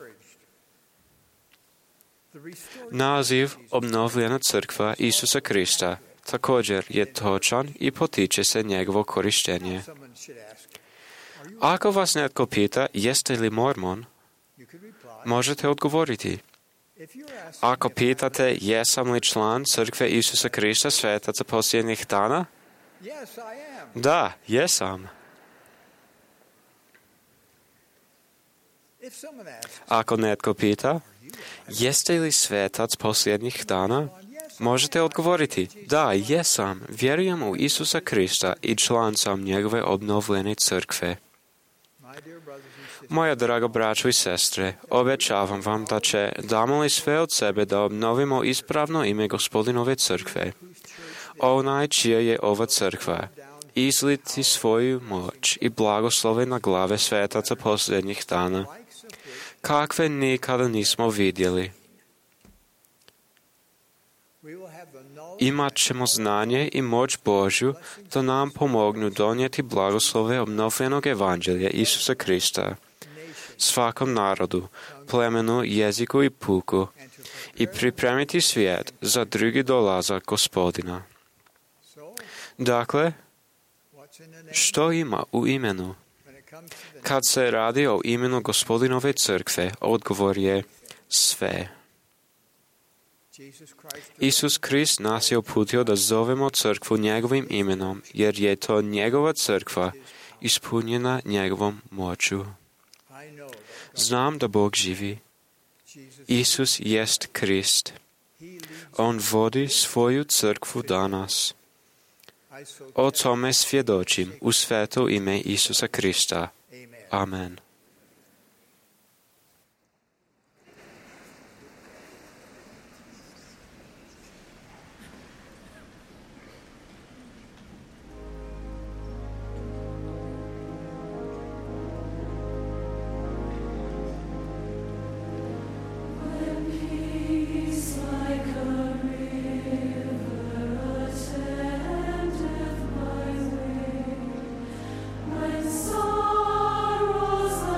Naziv obnovljena crkva Isusa Krista također je točan i potiče se njegovo korištenje. Ako vas netko pita jeste li mormon, možete odgovoriti. Ako pitate jesam li član crkve Isusa Krista svetaca posljednjih dana, da, jesam. Ako netko pita jeste li svetac posljednjih dana, možete odgovoriti: da, jesam, vjerujem u Isusa Krista i član sam njegove obnovljene crkve. Moja draga braćo i sestre, obećavam vam da damo li sve od sebe da obnovimo ispravno ime Gospodinove crkve. Onaj čija je ova crkva, izliti svoju moć i blagoslove na glave svetaca posljednjih dana, kakve nikada nismo vidjeli. Imat ćemo znanje i moć Božju da nam pomognu donijeti blagoslove obnovljenog evanđelja Isusa Krista svakom narodu, plemenu, jeziku i puku i pripremiti svijet za drugi dolazak Gospodina. Dakle, što ima u imenu? Kad se radi o imenu Gospodinove crkve, odgovor je sve. Isus Krist nas je uputio da zovemo crkvu njegovim imenom, jer je to njegova crkva ispunjena njegovom moću. Znam da Bog živi. Isus jest Krist. On vodi svoju crkvu danas. O tome svjedočim u sveto ime Isusa Krista. Amen. Sorrows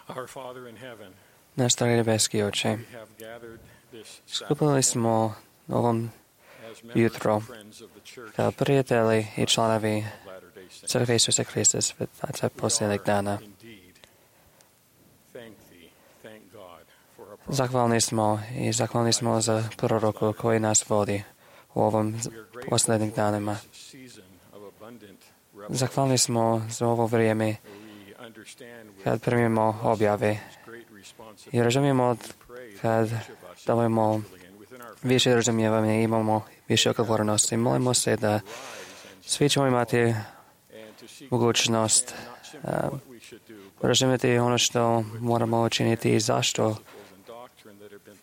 Our Father in heaven, Náš starý nebeský Oče, we have gathered this skupili sme ovom as members jutro and friends of the Church kao prijatelji i članovi of Latter-day Saints. Crkve Isusa Krista Svetaca posljednjeg dana. Indeed, thank God for our Zahvalni smo za proroku koji nas vodi u ovom posljednjim danima. season of abundant Zahvalni smo za ovo vrijeme we understand with kad primimo objave great responsibility i razumijemo kad davamo više razumijevanja i imamo više odgovornosti. Molimo se da svi ćemo imati mogućnost razumjeti ono što moramo učiniti i zašto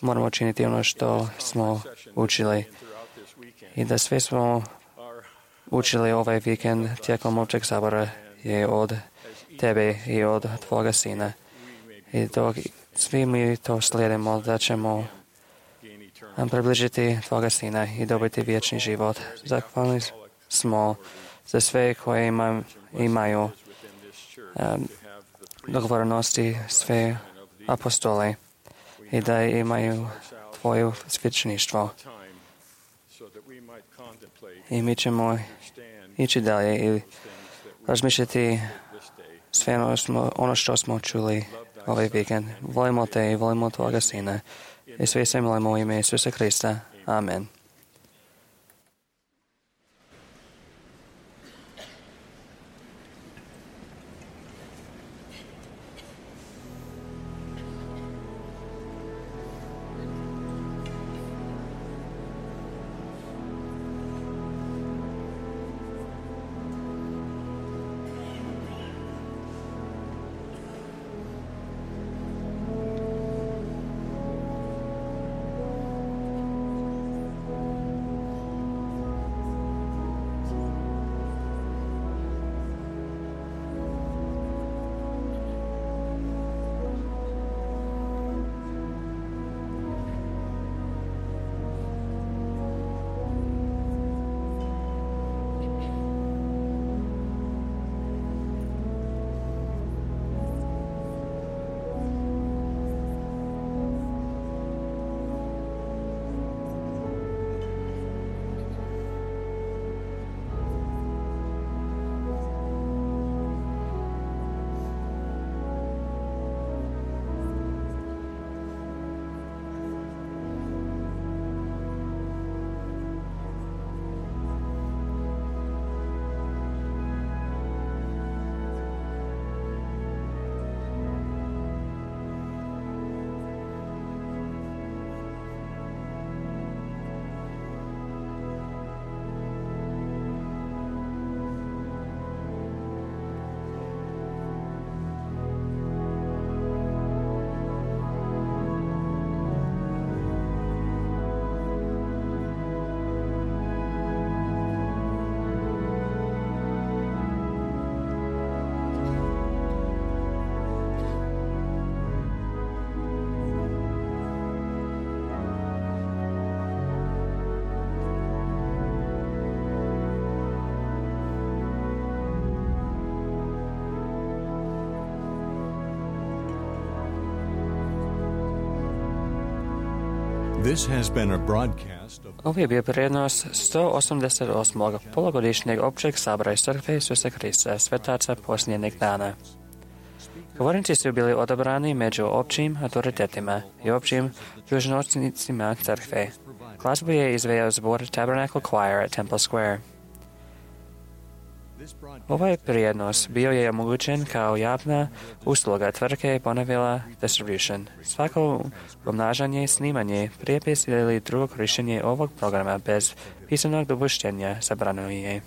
moramo učiniti ono što smo učili. I da sve smo učili ovaj vikend tijekom općeg sabora je od tebe i od tvoga sina. I dok svi mi to slijedimo, da ćemo približiti tvoga sina i dobiti vječni život. Zahvalni smo za sve koje imaju dogovornosti, sve apostole i da imaju tvoje svećeništvo. I mi ćemo ići dalje i razmišljati sve ono što smo čuli ovaj vikend. Volimo te i volimo tvoga sina. I sve se molimo u ime Isusa Krista. Amen. This has been a broadcast of Ovo je bio prijenos 188. polugodišnjeg općeg sabora Crkve Isusa Krista Svetaca posljednjeg dana. Govornici su bili odabrani među općim autoritetima i općim dužnosnicima crkve. Glazbu je izveo zbor Tabernacle Choir at Temple Square. Ovaj prijenos bio je omogućen kao javna usluga tvrtke Bonneville Distribution. Svako pomnažanje, snimanje, prijepis ili drugo korištenje ovog programa bez pisanog dopuštenja zabranjeno je.